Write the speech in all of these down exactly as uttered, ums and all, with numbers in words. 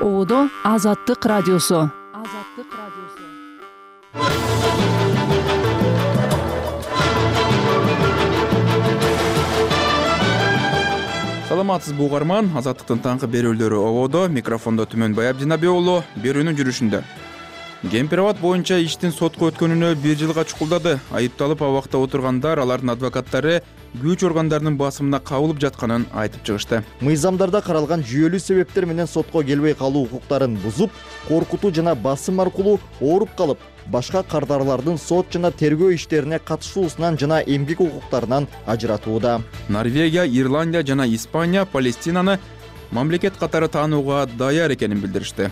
Оодо Азаттык радиосу. Азаттык радиосу. Саламатсызбы угарман, Азаттыктын таңкы берүүлөрү Оодо, микрофондо Түмөнбай Абдинабек уулу. Берүүнүн жүрүшүндө. Кемпир-абад боюнча иштин сотко өткөнүнө бир жылга чукулдады. Айыпталып абакта отургандар, алардын адвокаттары күч органдарынын басымына кабылып жатканын айтып чыгышты. Мыйзамдарда каралган жүйөлүү себептер менен сотко келбей калуу укуктарын бузуп, коркутуу жана басым аркылуу ооруп калып, башка кардарлардын сот жана тергөө иштерине катышуусунан жана эмгек укуктарынан ажыратууда. Норвегия, Ирландия жана Испания Палестинаны мамлекет катары таанууга даяр экенин билдиришти.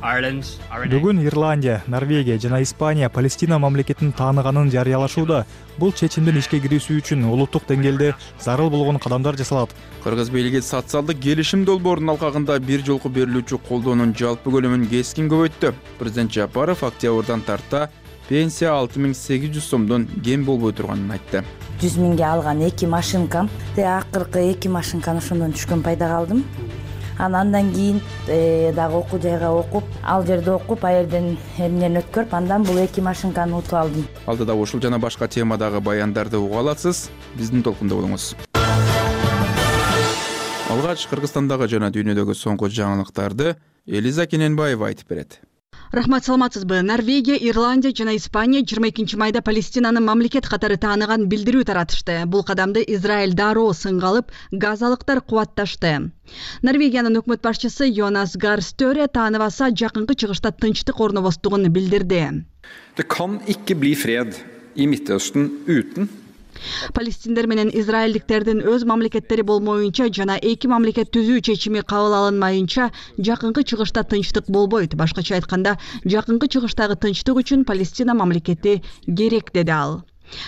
Бүгүн Ирландия, Норвегия жана Испания Палестина мамлекетин тааныганын жарыялашууда. Бул чечимдин ишке кирүүсү үчүн улуттук деңгээлде зарыл болгон кадамдар жасалат. Кыргыз бийлиги социалдык келишим долбоорунун алкагында бир жолку берилүүчү колдоонун жалпы көлөмүн кескин көбөйттү. Президент Жапаров октябрдан тарта пенсия алты миң сегиз жүз сомдон кем болбой турганын айтты. жүз миңге алган эки машинкам, акыркы эки машинканы ошондон түшкөн пайда калдым. Андан кийин дагы окуу жайга окуп, ал жерде окуп, ал жерден эмнени өткөрүп, андан бул эки машинканы утуп алдым. Алдыда ушул жана башка темадагы баяндарды уга аласыз. Биздин толкунда болуңуз. Алгач Кыргызстандагы жана дүйнөдөгү соңку жаңылыктарды Элиза Кененбаева айтып берет. Рахмат, саламатсызбы. Норвегия, Ирландия жана Испания жыйырма экинчи майда Палестинаны мамлекет катары тааныган билдирүү таратышты. Бул кадамды Израиль дароо сынга алып, газалыктар кубатташты. Норвегиянын өкмөт башчысы Йонас Гар Стøre тааныбаса жакынкы чыгышта тынчтык орнобостугун билдирди. Det kan ikke bli fred i Midtøsten uten Палестиндер менен израилдиктердин өз мамлекеттери болмоюнча жана эки мамлекет түзүү чечими кабыл алынмайынча жакынкы чыгышта тынчтык болбойт. Башкача айтканда, жакынкы чыгыштагы тынчтык үчүн Палестина мамлекети керек, деди ал.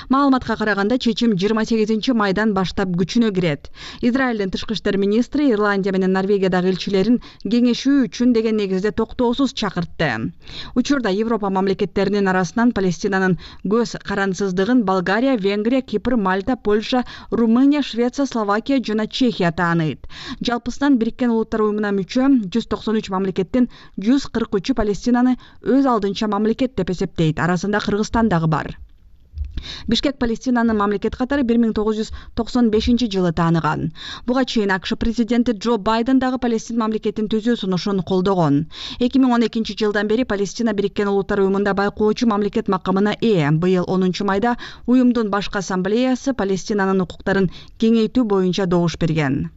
Маалыматка караганда чечим жыйырма сегизинчи майдан баштап күчүнө кирет. Израилдин тышкы иштер министри Ирландия менен Норвегиядагы элчилерин кеңешүү үчүн деген негизде токтоосуз чакыртты. Учурда Европа мамлекеттеринин арасынан Палестинанын көз карансыздыгын Болгария, Венгрия, Кипр, Мальта, Польша, Румыния, Швеция, Словакия жана Чехия тааныйт. Жалпысынан Бириккен Улуттар уюмуна мүчө жүз токсон үч мамлекеттин жүз кырк үчү Палестинаны өз алдынча мамлекет деп эсептейт. Арасында Кыргызстан дагы бар. Бишкек Палестинаны мамлекет катары бир миң тогуз жүз токсон бешинчи жылы тааныган. Буга чейин АКШ президенти Джо Байден дагы Палестин мамлекетин түзүү сунушун колдогон. эки миң он экинчи жылдан бери Палестина Бириккен Улуттар уюмунда байкоочу мамлекет макамына ээ. Быйыл онунчу майда уюмдун башкы ассамблеясы Палестинанын укуктарын кеңейтүү боюнча добуш берген.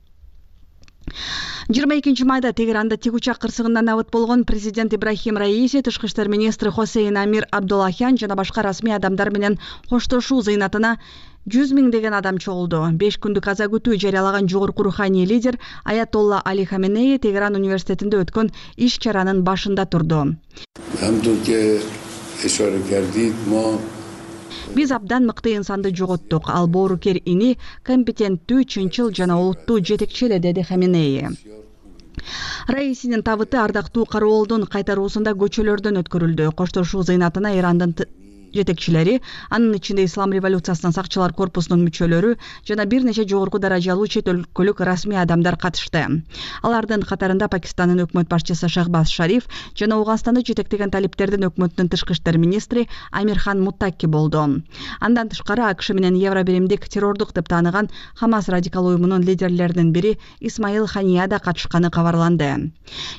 жыйырма экинчи майда Тегеранда тик учак кырсыгынан набыт болгон президент Ибрахим Раиси, тышкы иштер министри Хосейн Амир Абдуллахян жана башка расмий адамдар менен коштошуу зыйнатына жүз миң деген адам чогулду. беш күндүк аза күтүү жарыялаган жогорку руханий лидер Аятолла Али Хаменеи Тегеран университетинде өткөн иш чаранын башында турду. Биз абдан мыкты инсанды жоготтук. Ал боорукер ини, компетенттүү, чынчыл жана улуттуу жетекчи эле, деди Хаменеи. Раисинин табыты ардактуу кароолдун кайтаруусунда көчөлөрдөн өткөрүлдү. Коштошуу зыйнатына Ирандын жетекчилери, анын ичинде Ислам революциясынын сакчылар корпусунун мүчөлөрү жана бир нече жогорку даражалуу чет өлкөлүк расмий адамдар катышты. Алардын катарында Пакистандын өкмөт башчысы Шахбаз Шариф жана Ауганстанды жетектеген талиптердин өкмөтүнүн тышкы иштер министри Амирхан Муттаки болду. Андан тышкары АКШ менен Евробиримдик террордук деп тааныган Хамас радикал уюмунун лидерлеринин бири Исмаил Хания да катышканы кабарланды.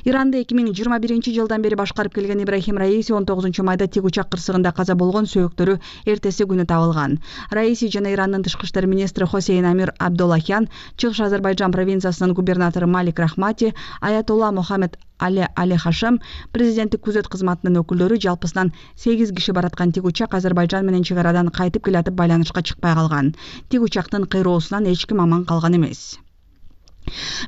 Иранды эки миң жыйырма биринчи жылдан бери башкарып келген Ибрахим Раиси он тогузунчу майда тик учак кырсыгында каза болгон, сөөктөрү эртеси күнү табылган. Раиси жана Ирандын тышкы иштер министри Хосейн Амир Абдуллахян, Чыгыш Азербайжан провинциясынын губернатору Малик Рахмати, Аятолла Мухаммед Али Али Хашем, президенттик күзөт кызматынын өкүлдөрү жалпысынан сегиз киши бараткан тик учак Азербайжан менен чек арадан кайтып келатып байланышка чыкпай калган. Тик учактын кыйроосунан эч ким аман калган эмес.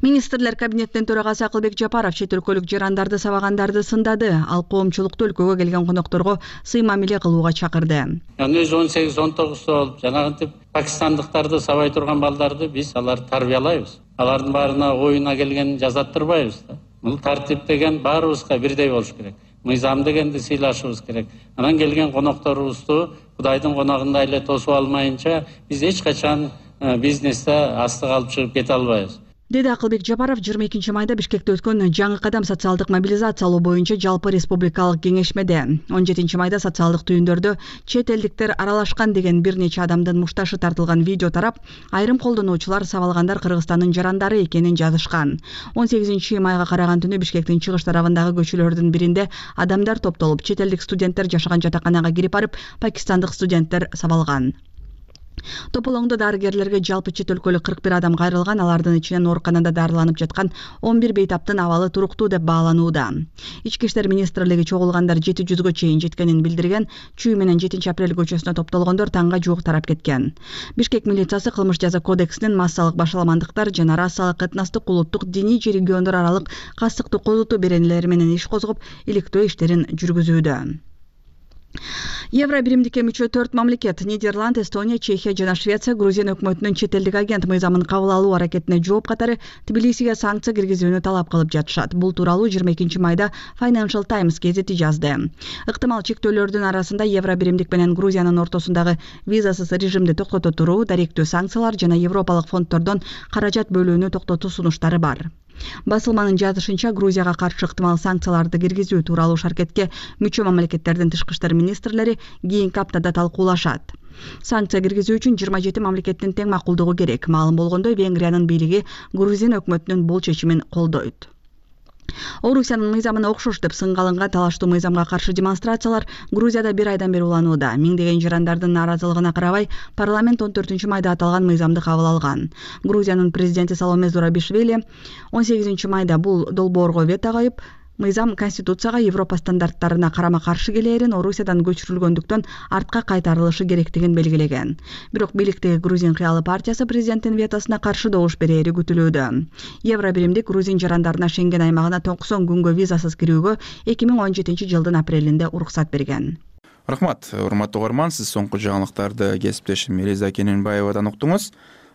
Министрлер кабинетинин төрагасы Акылбек Жапаров чет өлкөлүк жарандарды сабагандарды сындады. Ал коомчулукту өлкөгө келген конокторго сый мамиле кылууга чакырды. Өзү он сегиз он тогуз болуп, жанагынтип пакистандыктарды сабай турган балдарды биз аларды тарбиялайбыз. Алардын баарына оюна келген жазаттырбайбыз да. Бул тартип деген баарыбызга бирдей болуш керек. Мыйзам дегенди сыйлашыбыз керек. Анан келген конокторубузду Кудайдын коногундай эле тосуп алмайынча биз эч качан бизнесте астык алып чыгып кете албайбыз. деди Акылбек Жапаров жыйырма экинчи майда Бишкекте өткөн жаңы кадам социалдык мобилизациялоо боюнча жалпы республикалык кеңешмеде. он жетинчи майда социалдык түйүндөрдө чет элдиктер аралашкан деген бир нече адамдын мушташы тартылган видео тарап, айрым колдонуучулар сабалгандар Кыргызстандын жарандары экенин жазышкан. он сегизинчи майга караган түнү Бишкектин чыгыш тарабындагы көчөлөрдүн биринде адамдар топтолуп, чет элдик студенттер жашаган жатаканага кирип барып, пакистандык студенттер сабалган. Тополоңдо дарыгерлерге жалпы чет өлкөлүк кырк бир адам кайрылган, алардын ичинен ооруканада дарыланып жаткан он бир бейтаптын абалы туруктуу деп бааланууда. Ички иштер министрлиги чогулгандар жети жүзгө чейин жеткенин билдирген. Чүй менен жетинчи апрель көчөсүнө топтолгондор таңга жуук тарап кеткен. Бишкек милициясы кылмыш жаза кодексинин массалык башаламандыктар жана расалык, этностук, улуттук, диний же региондор аралык кастыктуу козутуу беренелери менен иш козгоп, иликтөө иштерин жүргүзүүдө. Евро биримдикке мүчө төрт мамлекет — Нидерланд, Эстония, Чехия жана Швеция Грузия өкмөтүнүн чет элдик агент мыйзамын кабыл алуу аракетине жооп катары Тбилисиге санкция киргизүүнү талап кылып жатышат. Бул тууралуу жыйырма экинчи майда Financial Times гезити жазды. Ыктымал чектөөлөрдүн арасында евро биримдик менен Грузиянын ортосундагы визасыз режимди токтото туруу, даректүү санкциялар жана европалык фонддордон каражат бөлүүнү токтотуу сунуштары бар. Басылманын жазышынча, Грузияга каршы ыктымал санкцияларды киргизүү тууралуу шаркетке мүчө мамлекеттердин тышкы иштер министрлери кийинки аптада талкуулашат. Санкция киргизүү үчүн жыйырма жети мамлекеттин тең макулдугу керек. Маалым болгондой, Венгриянын бийлиги Грузин өкмөтүнүн бул чечимин колдойт. Орусиянын мыйзамына окшош деп сынга алынган талаштуу мыйзамга каршы демонстрациялар Грузияда бир айдан бери уланууда. Миңдеген жарандардын нааразылыгына карабай, парламент он төртүнчү майда аталган мыйзамды кабыл алган. Грузиянын президенти Саломе Зурабишвили он сегизинчи майда бул долбоорго вето коюп, мыйзам Конституцияга, Европа стандарттарына карама-каршы келээрин, Орусиядан көчүрүлгөндүктөн артка кайтарылышы керектигин белгилеген. Бирок бийликтеги Грузин кыялы партиясы президенттин ветосуна каршы добуш берери күтүлүүдө. Евро биримдик грузин жарандарына Шенген аймагына токсон күнгө визасыз кирүүгө эки миң он жетинчи жылдын апрелинде уруксат берген. Рахмат, урматтуу угарман, сиз соңку жаңылыктарды кесиптешим Элиза Кененбаевадан уктуңуз.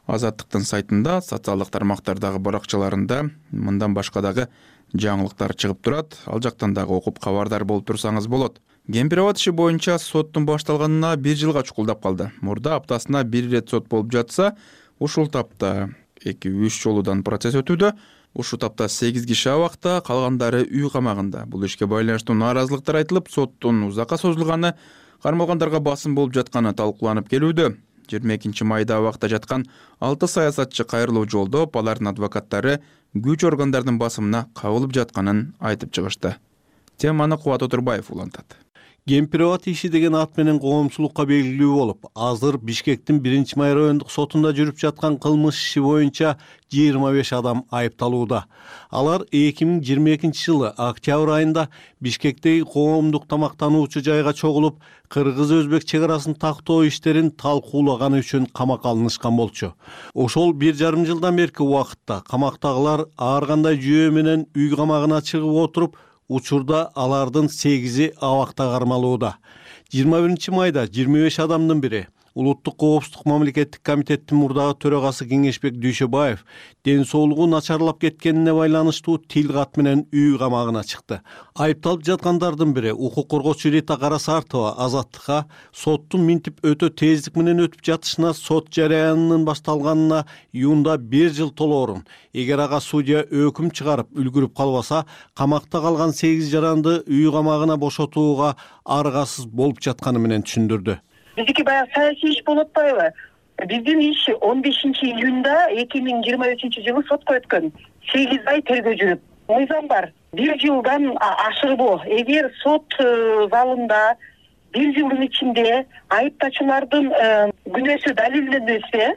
Азаттыктын сайтында, социалдык тармактардагы баракчаларында мындан башка дагы жаңылыктар чыгып турат. Ал жактан дагы окуп кабардар болуп турсаңыз болот. Кемпирабад иши боюнча соттун башталганына бир жылга чукулдап калды. Мурда аптасына бир ирет сот болуп жатса, ушул тапта эки үч жолудан процесс өтүүдө. Ушул тапта сегиз киши абакта, калгандары үй камагында. Бул ишке байланыштуу нааразылыктар айтылып, соттун узакка созулганы, кармалгандарга басым болуп жатканы талкууланып келүүдө. жыйырма экинчи майда абакта жаткан алты саясатчы кайрылуу жолдоп, алардын адвокаттары күч органдардын басымына кабылып жатканын айтып чыгышты. Теманы Кубат Отурбаев улантат. Кемпирабад иши деген ат менен коомчулукка белгилүү болуп, азыр Бишкектин биринчи май райондук сотунда жүрүп жаткан кылмыш иши боюнча жыйырма беш адам айыпталууда. Алар эки миң жыйырма экинчи жылы октябрь айында Бишкектеги коомдук тамактануучу жайга чогулуп, кыргыз-өзбек чек арасын тактоо иштерин талкуулаганы үчүн камакка алынышкан болчу. Ошол бир жарым жылдан берки убакытта камактагылар ар кандай жүйө менен үй камагына чыгып отуруп, учурда алардын сегизи абакта кармалууда. жыйырма биринчи майда жыйырма беш адамдын бири Улуттук коопсуздук мамлекеттик комитеттин мурдагы төрагасы Кеңешбек Дүйшөбаев ден соолугу начарлап кеткенине байланыштуу тил кат менен үй камагына чыкты. Айыпталып жаткандардын бири укук коргоочу Рита Карасартова Азаттыкка соттун минтип өтө тездик менен өтүп жатышына, сот жараянынын башталганына июнда бир жыл толоорун, эгер ага судья өкүм чыгарып үлгүрүп калбаса, камакта калган сегиз жаранды үй камагына бошотууга аргасыз болуп жатканы менен түшүндүрдү. Биздики баягы саясий иш болуп атпайбы? Биздин иш он бешинчи июнда эки миң жыйырма үчүнчү жылы сотко өткөн. сегиз ай тергөө жүрүп. Мыйзам бар. бир жылдан ашырбоо. Эгер сот залында бир жылдын ичинде айыптачылардын күнөөсү далилденбесе,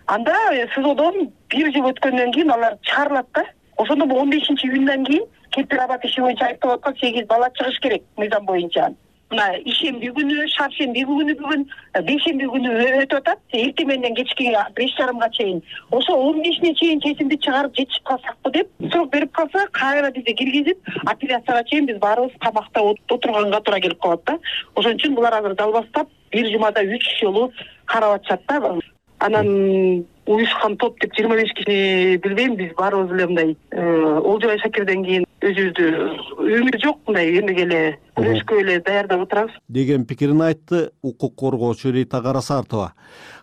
анда СИЗОдон бир жыл өткөндөн кийин алар чыгарылат да. Ошондо бул он бешинчи июндан кийин Кемпирабад иши боюнча айыпталып аткан сегиз бала чыгыш керек мыйзам боюнча. Мына ишемби күнү, шаршемби күнү бүгүн, бейшемби күнү өтүп атат. Эртең менен кечки беш жарымга чейин. Ошо он бешине чейин чечимди чыгарып жетишип калсакпы деп срок берип калса, кайра бизди киргизип, апелляцияга чейин биз баарыбыз камакта отурганга туура келип калат да. Ошон үчүн булар азыр далбастап бир жумада үч жолу карап атышат да. Анан уюшкан топ деп жыйырма беш кишини билбейм, биз баарыбыз эле мындай Олжобай Шакирден кийин өзүбүздү өмүр жок, мындай эмеге эле күрөшкө эле даярдап отурабыз деген пикирин айтты укук коргоочу Рита Карасартова.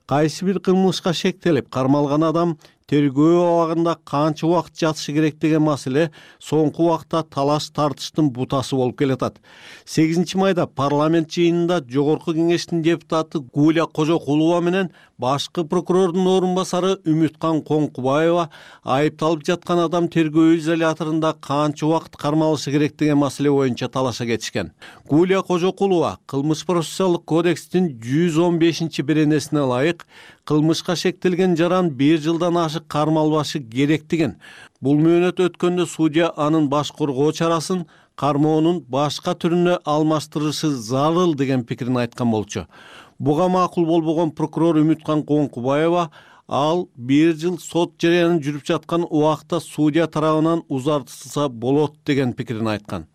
Кайсы бир кылмышка шектелип кармалган адам тергөө абагында канча убакыт жатышы керек деген маселе соңку убакта талаш тартыштын бутасы болуп келатат. сегизинчи майда парламент жыйынында Жогорку кеңештин депутаты Гулия Кожокулова менен башкы прокурордун орун басары Үмүткан Коңкубаева айыпталып жаткан адам тергөө изоляторунда канча убакыт кармалышы керек деген маселе боюнча талаша кетишкен. Гулия Кожокулова кылмыш процессуалдык кодекстин жүз он бешинчи беренесине ылайык кылмышка шектелген жаран бир жылдан ашык кармалбашы керектигин, бул мөөнөт өткөндө судья анын баш коргоо чарасын кармоонун башка түрүнө алмаштырышы зарыл деген пикирин айткан болчу. Буга макул болбогон прокурор Үмүткан Коңкубаева ал бир жыл сот жарыянын жүрүп жаткан убакта судья тарабынан узартылса болот деген пикирин айткан.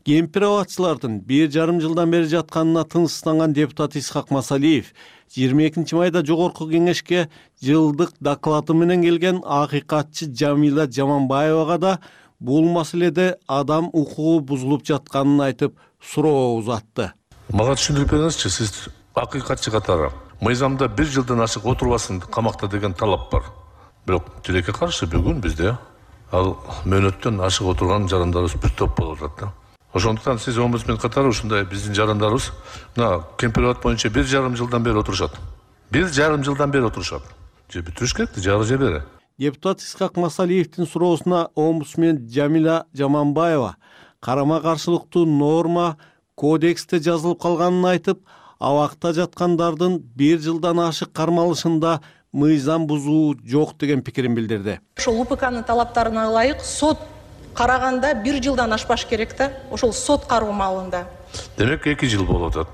Кемпир абадчылардын бир жарым жылдан бери жатканына тынчсызданган депутат Исхак Масалиев жыйырма экинчи майда Жогорку кеңешке жылдык доклады менен келген акыйкатчы Жамила Жаманбаевага да бул маселеде адам укугу бузулуп жатканын айтып суроо узатты. Мага түшүндүрүп бериңизчи, сиз акыйкатчы катары мыйзамда бир жылдан ашык отурбасын камакта деген талап бар. Бирок тилекке каршы бүгүн бизде ал мөөнөттөн ашык отурган жарандарыбыз бир топ болуп атат да. Ошондуктан сиз омбудсмен катары ушундай биздин жарандарыбыз мына Кемпир абад боюнча бир жарым жылдан бери отурушат. Бир жарым жылдан бери отурушат. Же бүтүрүш керек, жары же бери. Депутат Исхак Масалиевдин суроосуна омбудсмен Жамила Жаманбаева карама-каршылыктуу норма кодексте жазылып калганын айтып, абакта жаткандардын бир жылдан ашык кармалышында мыйзам бузуу жок деген пикирин билдирди. Ошол УПКнын талаптарына ылайык сот караганда бир жылдан ашпаш керек да, ошол сот кароо маалында. Демек эки жыл болуп атат.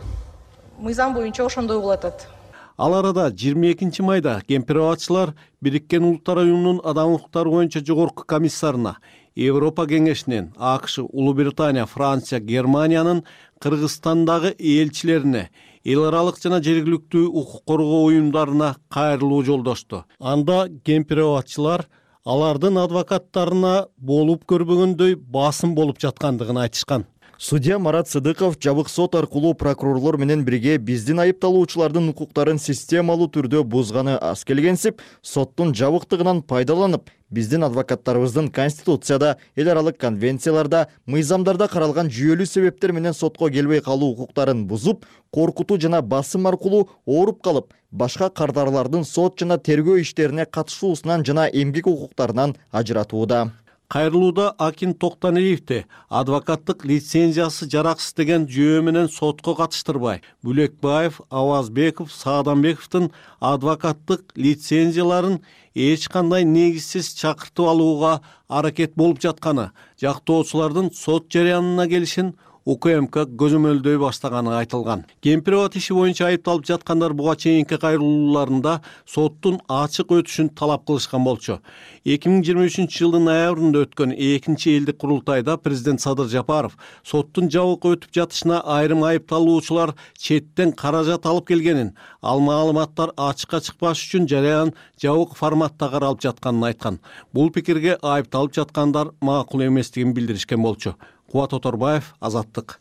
Мыйзам боюнча ошондой болуп атат. Ал арада жыйырма экинчи майда Кемпир абадчылар Бириккен Улуттар уюмунун адам укуктары боюнча жогорку комиссарына Европа кеңешинин, АКШ, Улуу Британия, Франция, Германиянын Кыргызстандагы элчилерине, эл аралык жана жергиликтүү укук коргоо уюмдарына кайрылуу жолдошту. Анда Кемпир абадчылар алардын адвокаттарына болуп көрбөгөндөй басым болуп жаткандыгын айтышкан. Судья Марат Сыдыков жабык сот аркылуу прокурорлор менен бирге биздин айыпталуучулардын укуктарын системалуу түрдө бузганы аз келгенсип, соттун жабыктыгынан пайдаланып, биздин адвокаттарыбыздын Конституцияда, эл аралык конвенцияларда, мыйзамдарда каралган жүйөлүү себептер менен сотко келбей калуу укуктарын бузуп, коркутуу жана басым аркылуу ооруп калып, башка кардарлардын сот жана тергөө иштерине катышуусунан жана эмгек укуктарынан ажыратууда. Кайрылууда Акин Токтоналиевди адвокаттык лицензиясы жараксыз деген жөө менен сотко катыштырбай, Бүлекбаев, Авазбеков, Сааданбековдун адвокаттык лицензияларын эч кандай негизсиз чакыртып алууга аракет болуп жатканы, жактоочулардын сот жарыянына келишин УКМК көзөмөлдөй баштаганы айтылган. Кемпир абад иши боюнча айыпталып жаткандар буга чейинки кайрылууларында соттун ачык өтүшүн талап кылышкан болчу. эки миң жыйырма үчүнчү жылдын ноябрында өткөн экинчи элдик курултайда президент Садыр Жапаров соттун жабык өтүп жатышына айрым айыпталуучулар четтен каражат алып келгенин, ал маалыматтар ачыкка чыкпаш үчүн жарыян жабык форматта каралып жатканын айткан. Бул пикирге айыпталып жаткандар макул эместигин билдиришкен болчу. Кубат Оторбаев, Азаттык.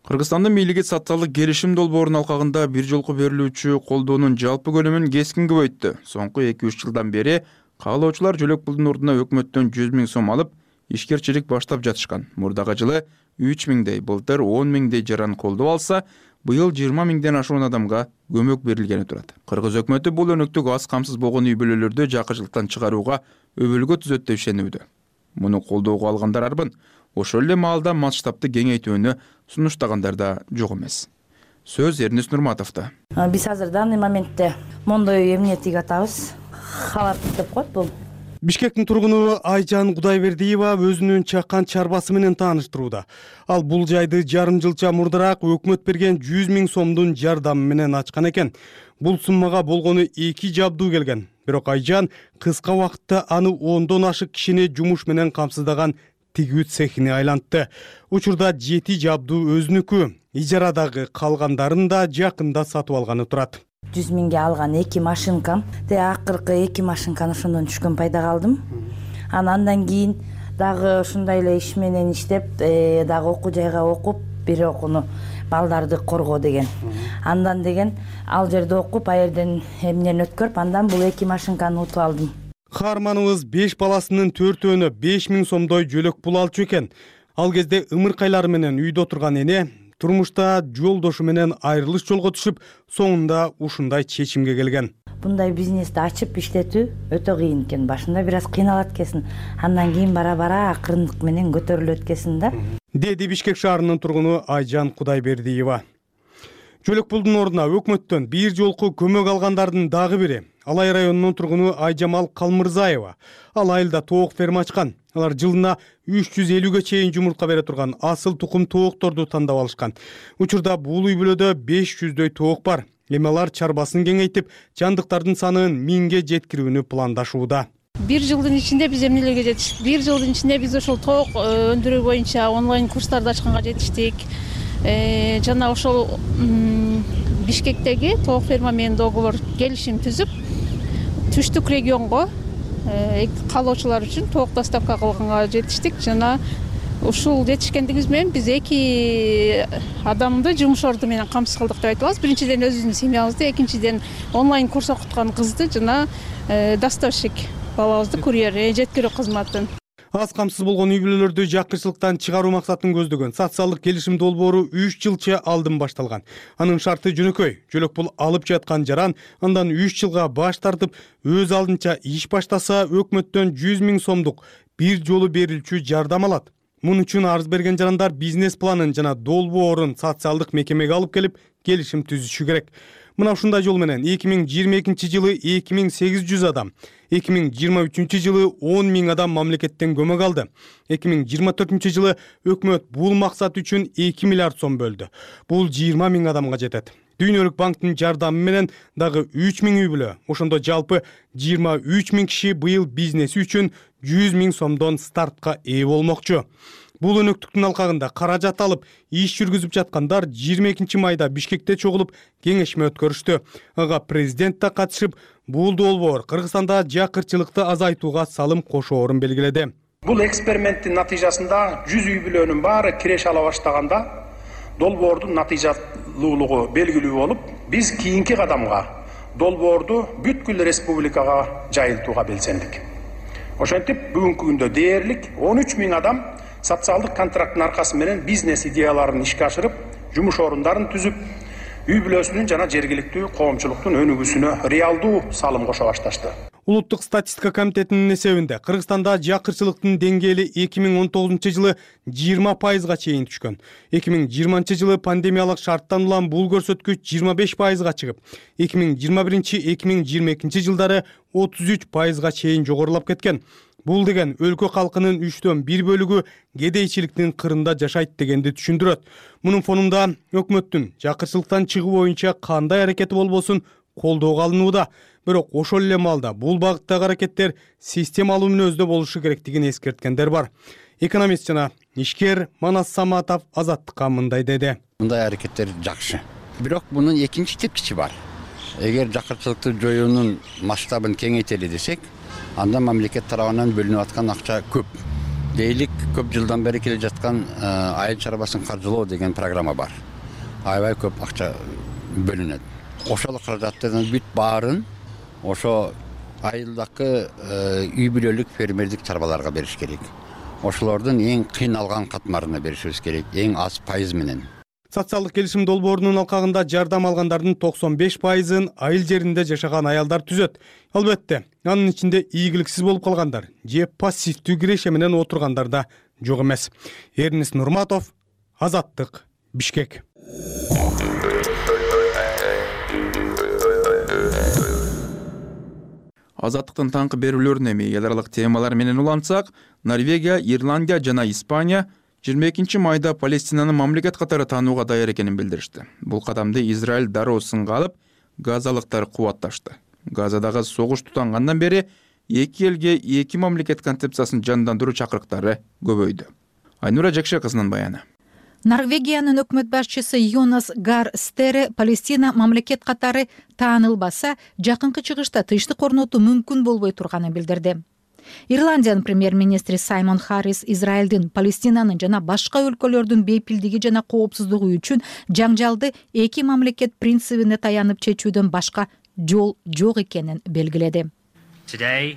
Кыргызстандын бийлиги социалдык келишим долбоорунун алкагында бир жолку берилүүчү колдоонун жалпы көлөмүн кескин көбөйттү. Соңку эки үч жылдан бери каалоочулар жөлөк пулдун ордуна өкмөттөн жүз миң сом алып, ишкерчилик баштап жатышкан. Мурдагы жылы үч миңдей, былтыр он миңдей жаран колдоо алса, быйыл жыйырма миңден ашуун адамга көмөк берилгени турат. Кыргыз өкмөтү бул өнөктүк аз камсыз болгон үй бүлөлөрдү жакырчылыктан чыгарууга өбөлгө түзөт деп ишенүүдө. Муну колдоого алгандар арбын, ошол эле маалда масштабты кеңейтүүнү сунуштагандар да жок эмес. Сөз Эрнис Нурматовдо. Биз азыр данный моментте мондой эмне атабыз. Халат деп коет бул. Бишкектин тургуну Айжан Кудайбердиева өзүнүн чаккан чарбасы менен тааныштырууда. Ал бул жайды жарым жылча мурдараак өкмөт берген жүз миң сомдун жардамы менен ачкан экен. Бул суммага болгону эки жабдуу келген. Бирок Айжан кыска убакытта аны ондон ашык кишини жумуш менен камсыздаган тигүү цехине айлантты. Учурда жети жабдуу өзүнүкү, ижарадагы калгандарын да жакында сатып алганы турат. жүз миңге алган эки машинкам, де акыркы эки машинканы ошондон түшкөн пайдага алдым. Анан андан кийин дагы ушундай эле иш менен иштеп дагы окуу жайга окуп бир окууну балдарды коргоо деген. Андан деген ал жерде окуп, а жерден эмнени өткөрүп, андан бул эки машинканы утуп алдым. Каарманыбыз беш баласынын төртөөнө беш миң сомдой жөлөк пул алчу экен. Ал кезде ымыркайлары менен үйдө отурган эне турмушта жолдошу менен айрылыш жолго түшүп, соңунда ушундай чечимге келген. Мындай бизнести ачып иштетүү өтө кыйын экен. Башында бир аз кыйналат экенсиң. Андан кийин бара-бара акырындык менен көтөрүлөт экенсиң да. Деди Бишкек шаарынын тургуну Айжан Кудайбердиева. Жөлөк пулдун ордуна өкмөттөн бир жолку көмөк алгандардын дагы бири Алай районунун тургуну Айжамал Калмырзаева. Ал айылда тоок ферма ачкан. Алар жылына үч жүз элүүгө чейин жумуртка бере турган асыл тукум тоокторду тандап алышкан. Учурда бул үй бүлөдө беш жүздөй тоок бар. Эми алар чарбасын кеңейтип, жандыктардын санын миңге жеткирүүнү пландашууда. Бир жылдын ичинде биз эмнелерге жетиштик? Бир жылдын ичинде биз ошол тоок өндүрүү боюнча онлайн курстарды ачканга жетиштик. Жана ошол Бишкектеги тоок ферма менен договор келишим түзүп, түштүк регионго калоочулар үчүн тоок доставка кылганга жетиштик. Жана ушул жетишкендигибиз менен биз эки адамды жумуш орду менен камсыз кылдык деп айта алабыз. Биринчиден өзүбүздүн семьябызды, экинчиден онлайн курс окуткан кызды жана доставщик балабызды, курьер, жеткирүү кызматын. Аз камсыз болгон үй бүлөлөрдү жакырчылыктан чыгаруу максатын көздөгөн социалдык келишим долбоору үч жылча алдын башталган. Анын шарты жөнөкөй. Жөлөк пул алып жаткан жаран андан үч жылга баш тартып, өз алдынча иш баштаса, өкмөттөн жүз миң сомдук бир жолу берилчү жардам алат. Мун үчүн арыз берген жарандар бизнес планын жана долбоорун социалдык мекемеге алып келип, келишим түзүшү керек. Мына ушундай жол менен эки миң жыйырма экинчи жылы эки миң сегиз жүз адам, эки миң жыйырма үчүнчү жылы он миң адам мамлекеттен көмөк алды. эки миң жыйырма төртүнчү жылы өкмөт бул максат үчүн эки миллиард сом бөлдү. Бул жыйырма миң адамга жетет. Дүйнөлүк банктын жардамы менен дагы үч миң үй бүлө, ошондо жалпы жыйырма үч миң киши быйыл бизнеси үчүн жүз миң сомдон стартка ээ болмокчу. Бул өнөктүктүн алкагында каражат алып, иш жүргүзүп жаткандар жыйырма экинчи майда Бишкекте чогулуп кеңешме өткөрүштү. Ага президент да катышып, бул долбоор Кыргызстанда жакырчылыкты азайтууга салым кошоорун белгиледи. Бул эксперименттин натыйжасында жүз үй бүлөнүн баары киреше ала баштаганда долбоордун натыйжалуулугу белгилүү болуп, биз кийинки кадамга долбоорду бүткүл республикага жайылтууга белсендик. Ошентип бүгүнкү күндө дээрлик он үч миң адам социалдык контракттын аркасы менен бизнес идеяларын ишке ашырып, жумуш орундарын түзүп, үй бүлөсүнүн жана жергиликтүү коомчулуктун өнүгүүсүнө реалдуу салым кошо башташты. Улуттук статистика комитетинин эсебинде Кыргызстанда жакырчылыктын деңгээли эки миң он тогузунчу жылы жыйырма пайызга чейин түшкөн. эки миң жыйырманчы жылы пандемиялык шарттан улам бул көрсөткүч жыйырма беш пайызга чыгып, эки миң жыйырма биринчи — эки миң жыйырма экинчи жылдары отуз үч пайызга чейин жогорулап кеткен. Бул деген өлкө калкынын үчтөн бир бөлүгү кедейчиликтин кырында жашайт дегенди түшүндүрөт. Мунун фонунда өкмөттүн жакырчылыктан чыгуу боюнча кандай аракети болбосун колдоого алынууда. Бирок ошол эле маалда бул багыттагы аракеттер системалуу мүнөздө болушу керектигин эскерткендер бар. Экономист жана ишкер Манас Саматов Азаттыкка мындай деди. Мындай аракеттер жакшы. Бирок мунун экинчи тепкичи бар. Эгер жакырчылыкты жоюунун масштабын кеңейтели десек, анда мамлекет тарабынан бөлүнүп аткан акча көп. Дейлик көп жылдан бери келе жаткан айыл чарбасын каржылоо деген программа бар. Аябай көп акча бөлүнөт. Ошол каражаттардын бүт баарын ошо айылдагы үй бүлөлүк фермердик чарбаларга бериш керек. Ошолордун эң кыйналган катмарына беришибиз керек, эң аз пайыз менен. Социалдык келишим долбоорунун алкагында жардам алгандардын токсон беш пайызын айыл жеринде жашаган аялдар түзөт. Албетте, анын ичинде ийгиликсиз болуп калгандар же пассивдүү киреше менен отургандар да жок эмес. Эрнис Нурматов, Азаттык, Бишкек. Азаттыктын таңкы берүүлөрүнө эми эл аралык темалар менен улантсак, Норвегия, Ирландия жана Испания жыйырма экинчи майда Палестинаны мамлекет катары таанууга даяр экенин билдиришти. Бул кадамды Израиль дароо сынга алып, газалыктар кубатташты. Газадагы согуш тутангандан бери эки элге эки мамлекет концепциясын жандандыруу чакырыктары көбөйдү. Айнура Жакшы кызынын баяны. Норвегиянын өкмөт башчысы Йонас Гар Стере Палестина мамлекет катары таанылбаса, жакынкы чыгышта тынчтык орнотуу мүмкүн болбой турганын билдирди. Ирландиянын премьер-министри Саймон Харрис Израилдин Палестинанын жана башка өлкөлөрдүн бейпилдиги жана коопсуздугу үчүн жаңжалды эки мамлекет принцибине таянып чечүүдөн башка жол жок экенин белгиледи. Today,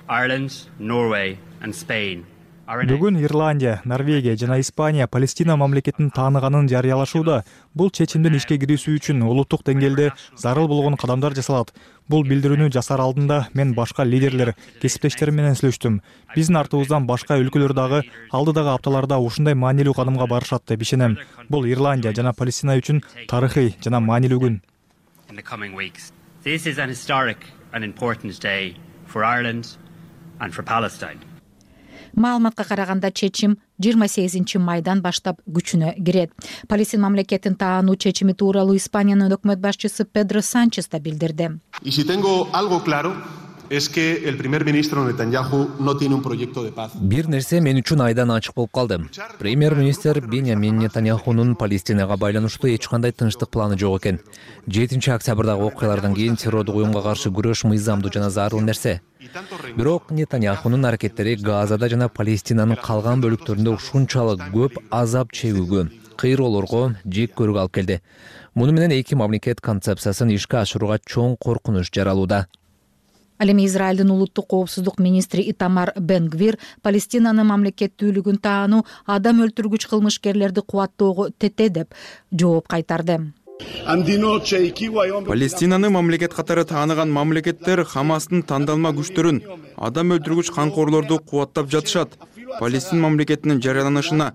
Ireland, Norway and Spain Бүгүн Ирландия, Норвегия жана Испания Палестина мамлекетин тааныганын жарыялашууда. Бул чечимдин ишке кирүүсү үчүн улуттук деңгээлде зарыл болгон кадамдар жасалат. Бул билдирүүнү жасар алдында мен башка лидерлер, кесиптештерим менен сүйлөштүм. Биздин артыбыздан башка өлкөлөр дагы алдыдагы апталарда ушундай маанилүү кадамга барышат деп ишенем. Бул Ирландия жана Палестина үчүн тарыхый жана маанилүү күн. in the coming weeks. This is an historic and important day for Ireland and for Palestine. Маалыматка караганда чечим жыйырма сегизинчи майдан баштап күчүнө кирет. Палестин мамлекетин таануу чечими тууралуу Испаниянын өкмөт башчысы Педро Санчес да билдирди. Y si tengo algo claro es que el primer ministro Netanyahu no tiene un proyecto de paz. Бир нерсе мен үчүн айдан ачык болуп калды. Премьер-министр Беньямин Нетаньяхунун Палестинага байланыштуу эч кандай тынчтык планы жок экен. жетинчи октябрдагы окуялардан кийин террордук уюмга каршы күрөш мыйзамдуу жана зарыл нерсе. Бирок Нетаньяхунун аракеттери Газада жана Палестинанын калган бөлүктөрүндө ушунчалык көп азап чегүүгө, кыйроолорго, жек көрүүгө алып келди. Муну менен эки мамлекет концепциясын ишке ашырууга чоң коркунуч жаралууда. Ал эми Израилдин улуттук коопсуздук министри Итамар Бен-Гвир Палестинанын мамлекеттүүлүгүн таануу адам өлтүргүч кылмышкерлерди кубаттоого тете деп жооп кайтарды. Палестинаны мамлекет катары тааныган мамлекеттер Хамастын тандалма күчтөрүн, адам өлтүргүч канкорлорду кубаттап жатышат. Палестин мамлекетинин жарыяланышына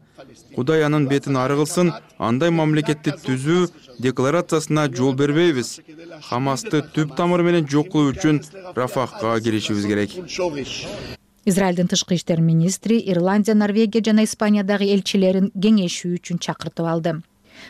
Кудай анын бетин ары кылсын, андай мамлекетти түзүү декларациясына жол бербейбиз. Хамасты түп тамыры менен жок кылуу үчүн Рафахка киришибиз керек. Израилдин тышкы иштер министри Ирландия, Норвегия жана Испаниядагы элчилерин кеңешүү үчүн чакыртып алды.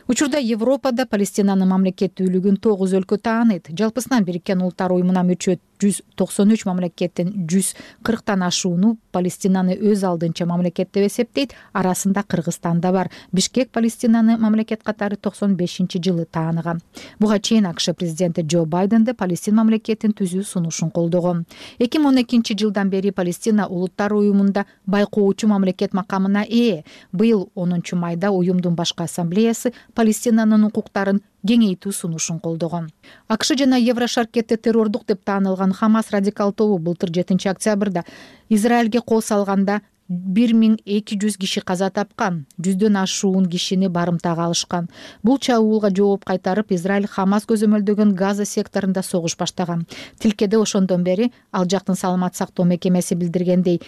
Учурда Европада Палестинанын мамлекеттүүлүгүн тогуз өлкө тааныйт. Жалпысынан Бириккен Улуттар уюмуна мүчө жүз токсон үч мамлекеттин жүз кырктан ашууну Палестинаны өз алдынча мамлекет деп эсептейт. Арасында Кыргызстан да бар. Бишкек Палестинаны мамлекет катары токсон бешинчи жылы тааныган. Буга чейин АКШ президенти Джо Байден да Палестин мамлекетин түзүү сунушун колдогон. эки миң он экинчи жылдан бери Палестина Улуттар уюмунда байкоочу мамлекет макамына ээ. Быйыл онунчу майда уюмдун башкы ассамблеясы Палестинанын укуктарын кеңейтүү сунушун колдогон. АКШ жана Еврошаркетте террордук деп таанылган Хамас радикал тобу былтыр жетинчи октябрда Израилге кол салганда бир миң эки жүз киши каза тапкан, жүздөн ашуун кишини барымтага алышкан. Бул чабуулга жооп кайтарып Израиль Хамас көзөмөлдөгөн Газа секторунда согуш баштаган. Тилкеде ошондон бери ал жактын саламат сактоо мекемеси билдиргендей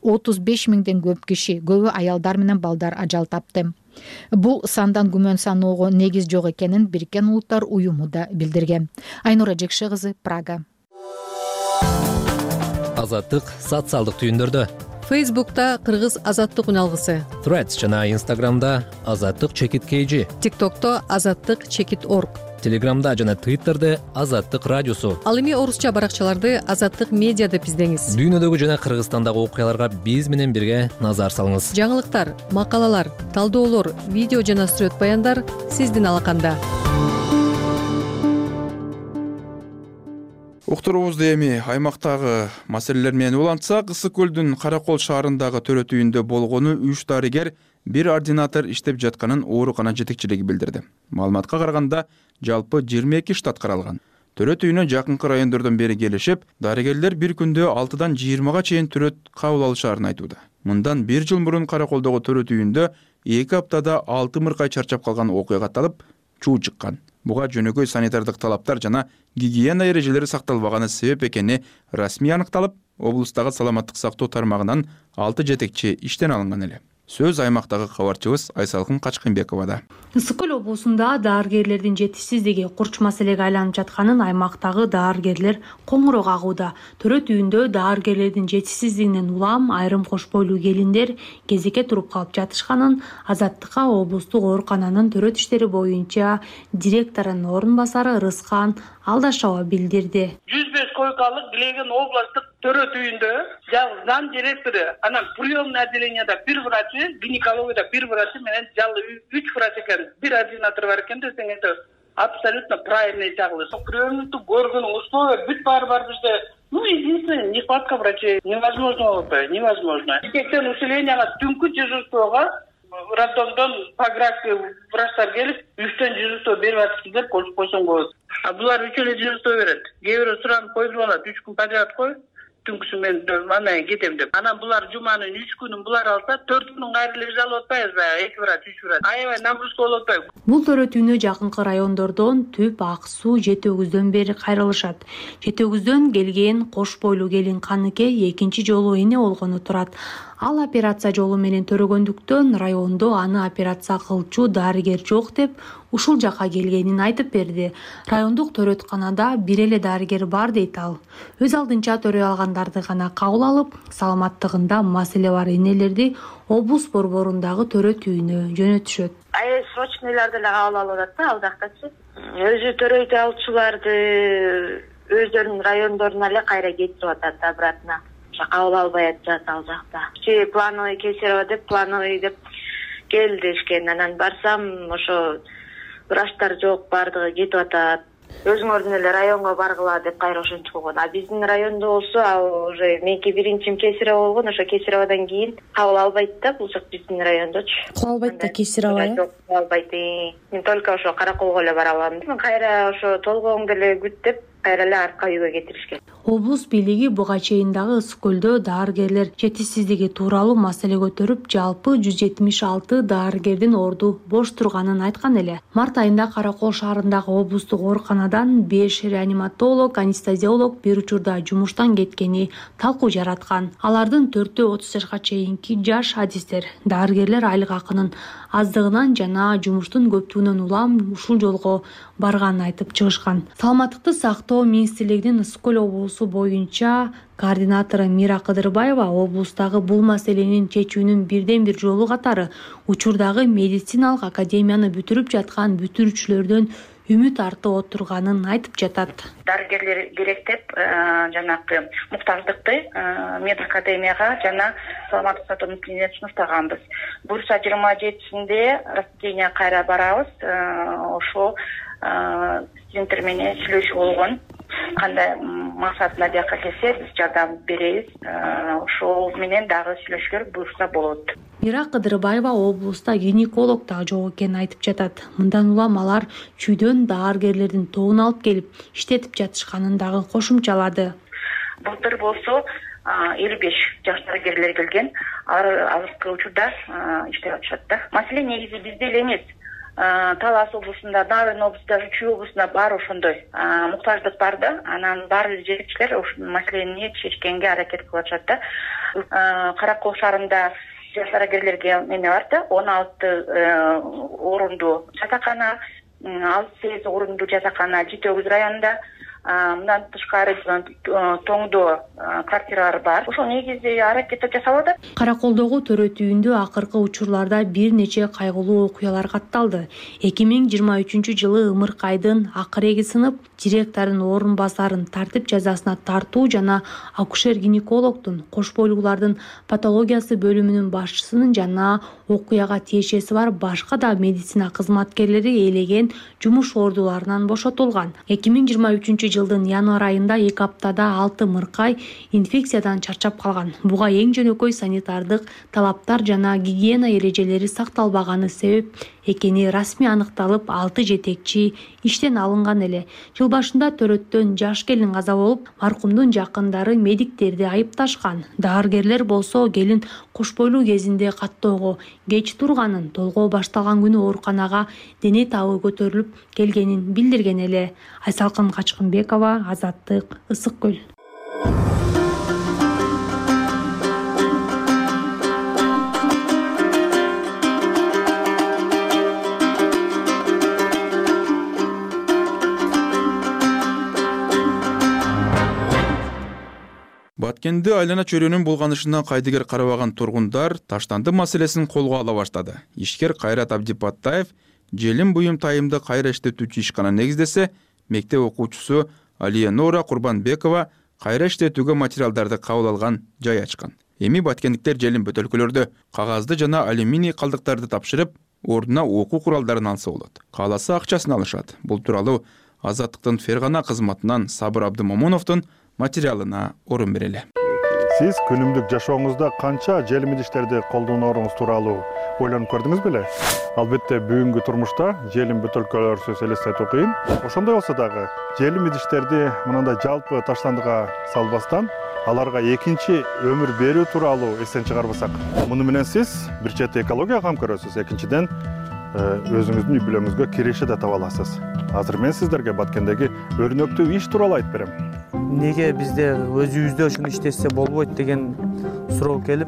отуз беш миңден көп киши, көбү аялдар менен балдар ажал тапты. Бул сандан күмөн саноого негиз жок экенин Бириккен Улуттар уюму да билдирген. Айнура Жекше кызы, Прага. Азаттык социалдык түйүндөрдө. Фейсбукта Кыргыз азаттык үналгысы. Threads жана Инстаграмда азаттык чекит kg. ТикТокто азаттык чекит орг. Телеграмда жана Твиттерде азаттык радиосу. Ал эми орусча баракчаларды азаттык медиа деп издеңиз. Дүйнөдөгү жана Кыргызстандагы окуяларга биз менен бирге назар салыңыз. Жаңылыктар, макалалар, талдоолор, видео жана сүрөт баяндар сиздин алаканда. Уктуруубузду эми аймактагы маселелер менен улантсак, Ысык көлдүн Каракол шаарындагы төрөт үйүндө болгону үч дарыгер, бир ординатор иштеп жатканын оорукана жетекчилиги билдирди. Маалыматка караганда, жалпы жыйырма эки штат каралган. Төрөт үйүнө жакынкы райондордон бери келишип, дарыгерлер бир күндө алтыдан жыйырмага чейин төрөт кабыл алышаарын айтууда. Мындан бир жыл мурун Караколдогу төрөт үйүндө эки аптада алты мыркай чарчап калган окуя катталып, чуу чыккан. Буга жөнөкөй санитардык талаптар жана гигиена эрежелери сакталбаганы себеп экени расмий аныкталып, облустагы саламаттык сактоо тармагынан алты жетекчи иштен алынган эле. Сөз аймактагы кабарчыбыз Айсалкын Качкынбековада. Ысык көл облусунда даарыгерлердин жетишсиздиги курч маселеге айланып жатканын аймактагы даарыгерлер коңуроок кагууда. Төрөт үйүндө даарыгерлердин жетишсиздигинен улам айрым кош бойлуу келиндер кезекке туруп калып жатышканын Азаттыкка облустук оорукананын төрөт иштери боюнча директорунун орун басары Рыскан Алдашова билдирди. жүз беш койкалык Билеген областтык төрөт үйүндө жалгыз зам директору, анан приемный отделенияда бир врачы, гинекологияда бир врачы менен жалгыз үч врач экен, бир ординатор бар экен десең это абсолютно правильный чагылыш. Приемникту көргөн условия бүт баары бар бизде Ну, единственное, нехватка врачей. Невозможно болуп атпайбы, невозможно. Бишкектен усилениега түнкү дежурствого роддомдон по графике врачтар келип, үчтөн дежурство берип атышты деп коюп койсоң болот. А булар үч эле дежурство берет. Кээ бирөө суранып коюп алат, үч күн подряд кой. Түнкүсү мен анан кетем деп. Анан булар жуманын үч күнүн булар алса, төрт күнүн кайра эле биз алып атпайбыз баягы эки врач, үч врач. Аябай нагрузка болуп атпайбы? Бул төрөтүүнө жакынкы райондордон Түп, Ак Суу, Жети Өгүздөн бери кайрылышат. Жети Өгүздөн келген кош бойлуу келин Каныке экинчи жолу эне болгону турат. Ал операция жолу менен төрөгөндүктөн райондо аны операция кылчу дарыгер жок деп ушул жака келгенин айтып берди. Райондук төрөтканада бир эле дарыгер бар дейт ал. Өз алдынча төрөй алгандарды гана кабыл алып, саламаттыгында маселе бар энелерди облус борборундагы төрөтүүнө жөнөтүшөт. Ай срочныйларды эле кабыл алып атат да, ал жактачы. Өзү төрөйт алчуларды өздөрүнүн райондоруна эле кайра кетирип атат обратно. Кабыл албай атышат ал жакта. Че плановый Кесарево деп, плановый деп кел дешкен. Анан барсам, ошо врачтар жок, бардыгы кетип атат. Өзүңөрдүн эле районго баргыла деп кайра ошентип койгон. А биздин райондо болсо, ал уже меники биринчим Кесарево болгон, ошо Кесареводон кийин кабыл албайт да, бул жак биздин райондочу. Кабыл албайт да Кесарево. Жок, албайт. Мен только ошо Караколго эле бара алам. Кайра ошо толгооңду эле күт деп кайра эле артка үйгө кетиришкен. Облус бийлиги буга чейин дагы Ысык көлдө дарыгерлер жетишсиздиги тууралуу маселе көтөрүп, жалпы жүз жетимиш алты дарыгердин орду бош турганын айткан эле. Март айында Каракол шаарындагы облустук ооруканадан беш реаниматолог, анестезиолог бир учурда жумуштан кеткени талкуу жараткан. Алардын төртөө отуз жашка чейинки жаш адистер. Дарыгерлер айлык акынын аздыгынан жана жумуштун көптүгүнөн улам ушул жолго барганын айтып чыгышкан. Саламаттыкты сактоо министрлигинин Ысык көл облусу боюнча координатору Мира Кыдырбаева облустагы бул маселенин чечүүнүн бирден бир жолу катары учурдагы медициналык академияны бүтүрүп жаткан бүтүрүүчүлөрдөн үмүт артып отурганын айтып жатат. Дарыгерлер керек деп жанагы муктаждыкты медакадемияга жана саламаттык сактоо мекемесине сунуштаганбыз. Буюрса жыйырма жетисинде распределение кайра барабыз. Ошо студенттер менен сүйлөшүү болгон. Кандай максатына жакка келсе биз жардам беребиз. Ошол менен дагы сүйлөшүүлөр буюрса болот. Мира Кыдырбаева облуста гинеколог да жок экенин айтып жатат. Мындан улам алар чүйдөн дарыгерлердин тобун алып келип иштетип жатышканын дагы кошумчалады. Былтыр болсо элүү беш жаш дарыгерлер келген. Алар азыркы учурда иштеп атышат да. Маселе негизи бизде эле эмес. Талас облусунда, Нарын облусунда, Чүй облусунда бар ошондой муктаждык бар да. Анан баардык жетекчилер ушул маселени чечкенге аракет кылып атышат да. Каракол шаарында жаш дарыгерлерге эме бар да, он алты орундуу жатакана, алты сегиз орундуу жатакана Жети Өгүз районунда. Мындан тышкары тоңдо квартиралар бар. Ошол негизи аракет жасалды. Караколдогу төрөтүүндө акыркы учурларда бир нече кайгылуу окуялар катталды. эки миң жыйырма үчүнчү жылы ымыркайдын акыреги сынып, директордун орун басарын тартип жазасына тартуу жана акушер-гинекологдун, кош бойлуулардын патологиясы бөлүмүнүн башчысынын жана окуяга тиешеси бар башка да медицина кызматкерлери ээлеген жумуш ордуларынан бошотулган. эки миң жыйырма үчүнчү жылдын январь айында эки аптада алты мыркай инфекциядан чарчап калган. Буга эң жөнөкөй санитардык талаптар жана гигиена эрежелери сакталбаганы себеп экени расмий аныкталып, алты жетекчи иштен алынган эле. Жыл башында төрөттөн жаш келин каза болуп, маркумдун жакындары медиктерди айыпташкан. Дарыгерлер болсо келин кош бойлуу кезинде каттоого кеч турганын, толгоо башталган күнү ооруканага дене табы көтөрүлүп келгенин билдирген эле. Айсалкын Качкынбекова, Азаттык, Ысык көл. Баткенди айлана чөйрөнүн булганышына кайдыгер карабаган тургундар таштанды маселесин колго ала баштады. Ишкер Кайрат Абдипаттаев желим буюм тайымды кайра иштетүүчү ишкана негиздесе, мектеп окуучусу Алия Нора Курбанбекова кайра иштетүүгө материалдарды кабыл алган жай ачкан. Эми баткендиктер желим бөтөлкөлөрдү, кагазды жана алюминий калдыктарды тапшырып, ордуна окуу куралдарын алса болот. Кааласа акчасын алышат. Бул тууралуу Азаттыктын Фергана кызматынан Сабыр Абдымомуновдун материалына орун берели. Сиз күнүмдүк жашооңузда канча желим идиштерди колдонооруңуз тууралуу ойлонуп көрдүңүз беле? Албетте бүгүнкү турмушта желим бөтөлкөлөрсүз элестетүү кыйын. Ошондой болсо дагы желим идиштерди мындай жалпы таштандыга салбастан, аларга экинчи өмүр берүү тууралуу эстен чыгарбасак, муну менен сиз бир чети экологияга кам көрөсүз, экинчиден өзүңүздүн үй бүлөңүзгө киреше да таба аласыз. Азыр мен сиздерге Баткендеги өрнөктүү иш тууралуу айтып берем. Неге бизде өзүбүздө ушуну иштесе болбойт деген суроо келип,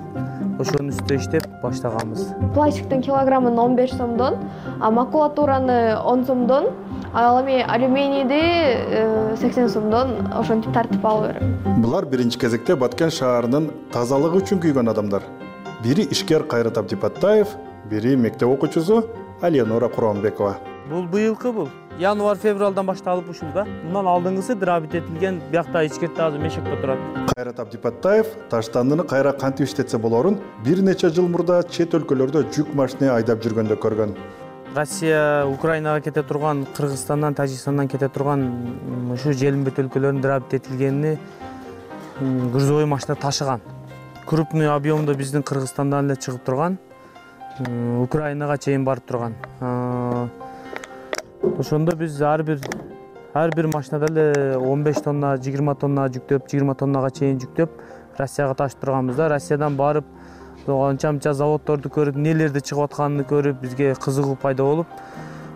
ошонун үстүнө иштеп баштаганбыз. Пластиктин килограммын он беш сомдон, макулатураны он сомдон, ал эми алюминийди сексен сомдон ошентип тартип алып берем. Булар биринчи кезекте Баткен шаарынын тазалыгы үчүн күйгөн адамдар. Бири ишкер Кайрат Абдипаттаев, бири мектеп окуучусу Алиянора Куромбекова. Бул быйылкы бул. Январь-февралдан башталып ушул да. Мындан алдыңгысы дырабит этилген, биякта ичкерте азыр мешекте турат. Кайрат Абдипаттаев таштандыны кайра кантип иштетсе болорун бир нече жыл мурда чет өлкөлөрдө жүк машина айдап жүргөндө көргөн. Россия Украинага кете турган, Кыргызстандан, Тажикстандан кете турган ушу желим бөтөлкөлөрүнүн дырабит этилгенini грузовой машина ташыган. Крупный объемдо биздин Кыргызстандан эле чыгып турган, Украинага чейин барып турган. Ошондо биз ар бир ар бир машинада эле он беш тонна, жыйырма тонна жүктөп, жыйырма тоннага чейин жүктөп Россияга ташып турганбыз да. Россиядан барып анча-мынча заводдорду көрүп, нелерди чыгып атканын көрүп, бизге кызыгуу пайда болуп,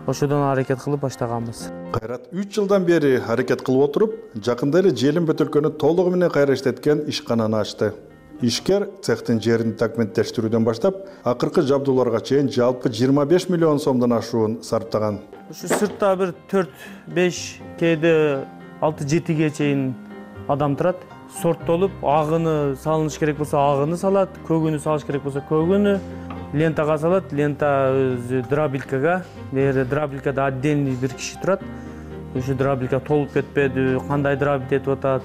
ошодон аракет кылып баштаганбыз. Кайрат үч жылдан бери аракет кылып отуруп, жакында эле желим бөтөлкөнү толугу менен кайра иштеткен ишкананы ачты. Ишкер цехтин жерин документтештирүүдөн баштап, акыркы жабдууларга чейин жалпы жыйырма беш миллион сомдон ашуун сарптаган. Ушу сыртта бир төрт беш, кээде алты жетиге чейин адам турат. Сорттолуп, агыны салыныш керек болсо агыны салат, көгүнү салыш керек болсо көгүнү, лентага салат, лента өзү дробилкага, бери дробилкада отдельный бир киши турат. Ушу дробилка толуп кетпеди, кандай дробит этип атат,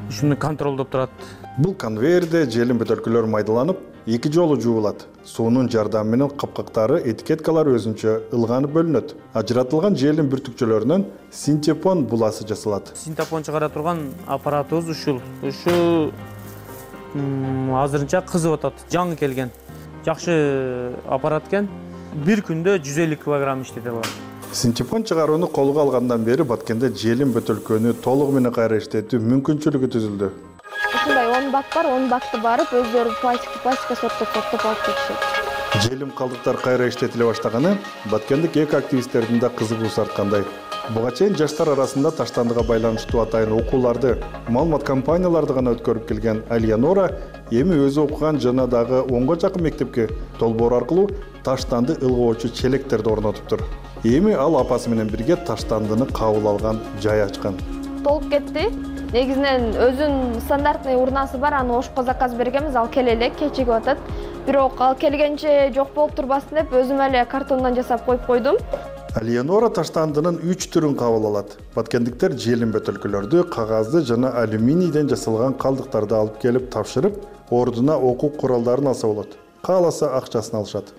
ушуну контролдоп турат. Бул конвейерде желим бөтөлкөлөр майдаланып, эки жолу жуулат. Суунун жардамы менен капкактары, этикеткалар өзүнчө ылганып бөлүнөт. Ажыратылган желим бүртүкчөлөрүнөн синтепон буласы жасалат. Синтепон чыгара турган аппаратыбыз ушул. Ушу азырынча кызып атат. Жаңы келген. Жакшы аппарат экен. Бир күндө жүз элүү килограмм иштете алат. Синтепон чыгарууну колго алгандан бери Баткенде желим бөтөлкөнү толугу менен кайра иштетүү мүмкүнчүлүгү түзүлдү. Ушундай он бак бар, он бакты барып өздөрү пластик пластика сорттоп сорттоп алып кетишет. Желим калдыктар кайра иштетиле баштаганы Баткендик эко активисттердин да кызыгуусу арткандай. Буга чейин жаштар арасында таштандыга байланыштуу атайын окууларды, маалымат компанияларды гана өткөрүп келген Алиянора эми өзү окуган жана дагы онго жакын мектепке долбоор аркылуу таштанды ылгоочу челектерди орнотуптур. Эми ал апасы менен бирге таштандыны кабыл алган жай ачкан. Толуп кетти. Негизинен өзүнүн стандартный урнасы бар, аны ошко заказ бергенбиз, ал келе элек, кечигип атат. Бирок ал келгенче жок болуп турбасын деп өзүм эле картондон жасап коюп койдум. Алиянора таштандынын үч түрүн кабыл алат. Баткендиктер желим бөтөлкөлөрдү, кагазды жана алюминийден жасалган калдыктарды алып келип тапшырып, ордуна окуу куралдарын алса болот. Кааласа акчасын алышат.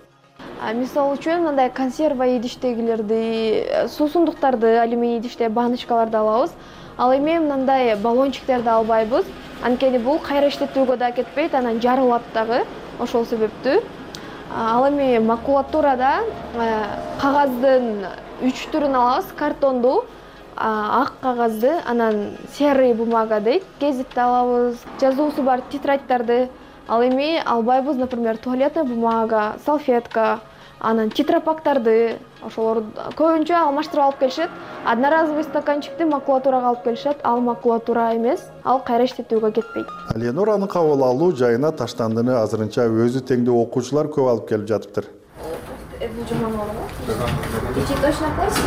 Мисалы үчүн мындай консерва идиштегилерди, суусундуктарды, алюминий идиште баночкаларды алабыз. Ал эми мындай баллончиктерди албайбыз. Анткени бул кайра иштетүүгө да кетпейт, анан жарылат дагы. Ошол себептүү. Ал эми макулатурада кагаздын үч түрүн алабыз. Картонду, ак кагазды, анан серый бумага дейт, гезитти алабыз. Жазуусу бар тетрадьтарды ал эми албайбыз, например, туалетная бумага, салфетка, анан тетрапактарды, ошолор көбүнчө алмаштырып алып келишет. Одноразовый стаканчикти макулатурага алып келишет, ал макулатура эмес, ал кайра иштетүүгө кетпейт. Алиянораның кабыл алуу жайына таштандыны азырынча өзү теңдүү окуучулар көп алып келип жатыптыр. Бул жаман болобу? Ичи точно пластик?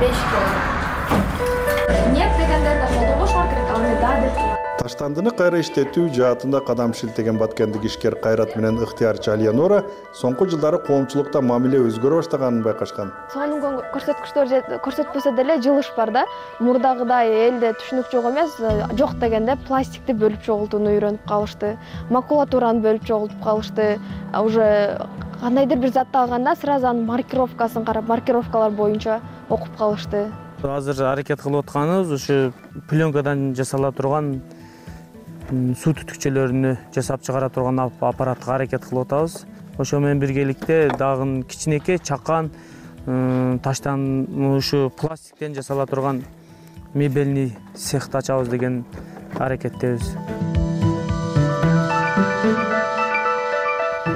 беш килограмм. Нет дегендер да колдонбошуңар керек, ал эми да деп. Таштандыны кайра иштетүү жаатында кадам шилтеген Баткендик ишкер Кайрат менен ыктыярчы Алиянора соңку жылдары коомчулукта мамиле өзгөрө баштаганын байкашкан. Сонун көрсөткүчтөр көрсөтпөсө деле жылыш бар да. Мурдагыдай элде түшүнүк жок эмес, жок дегенде пластикти бөлүп чогултууну үйрөнүп калышты. Макулатураны бөлүп чогултуп калышты. Уже кандайдыр бир затты алганда сразу анын маркировкасын карап, маркировкалар боюнча окуп калышты. азыр аракет кылып атканыбыз ушу пленкадан жасала турган суу түтүкчөлөрүнү жасап чыгара турган аппаратка аракет кылып атабыз. Ошо менен биргеликте дагы кичинекей чакан таштан ушу пластиктен жасала турган мебельный цехти ачабыз деген аракеттебиз.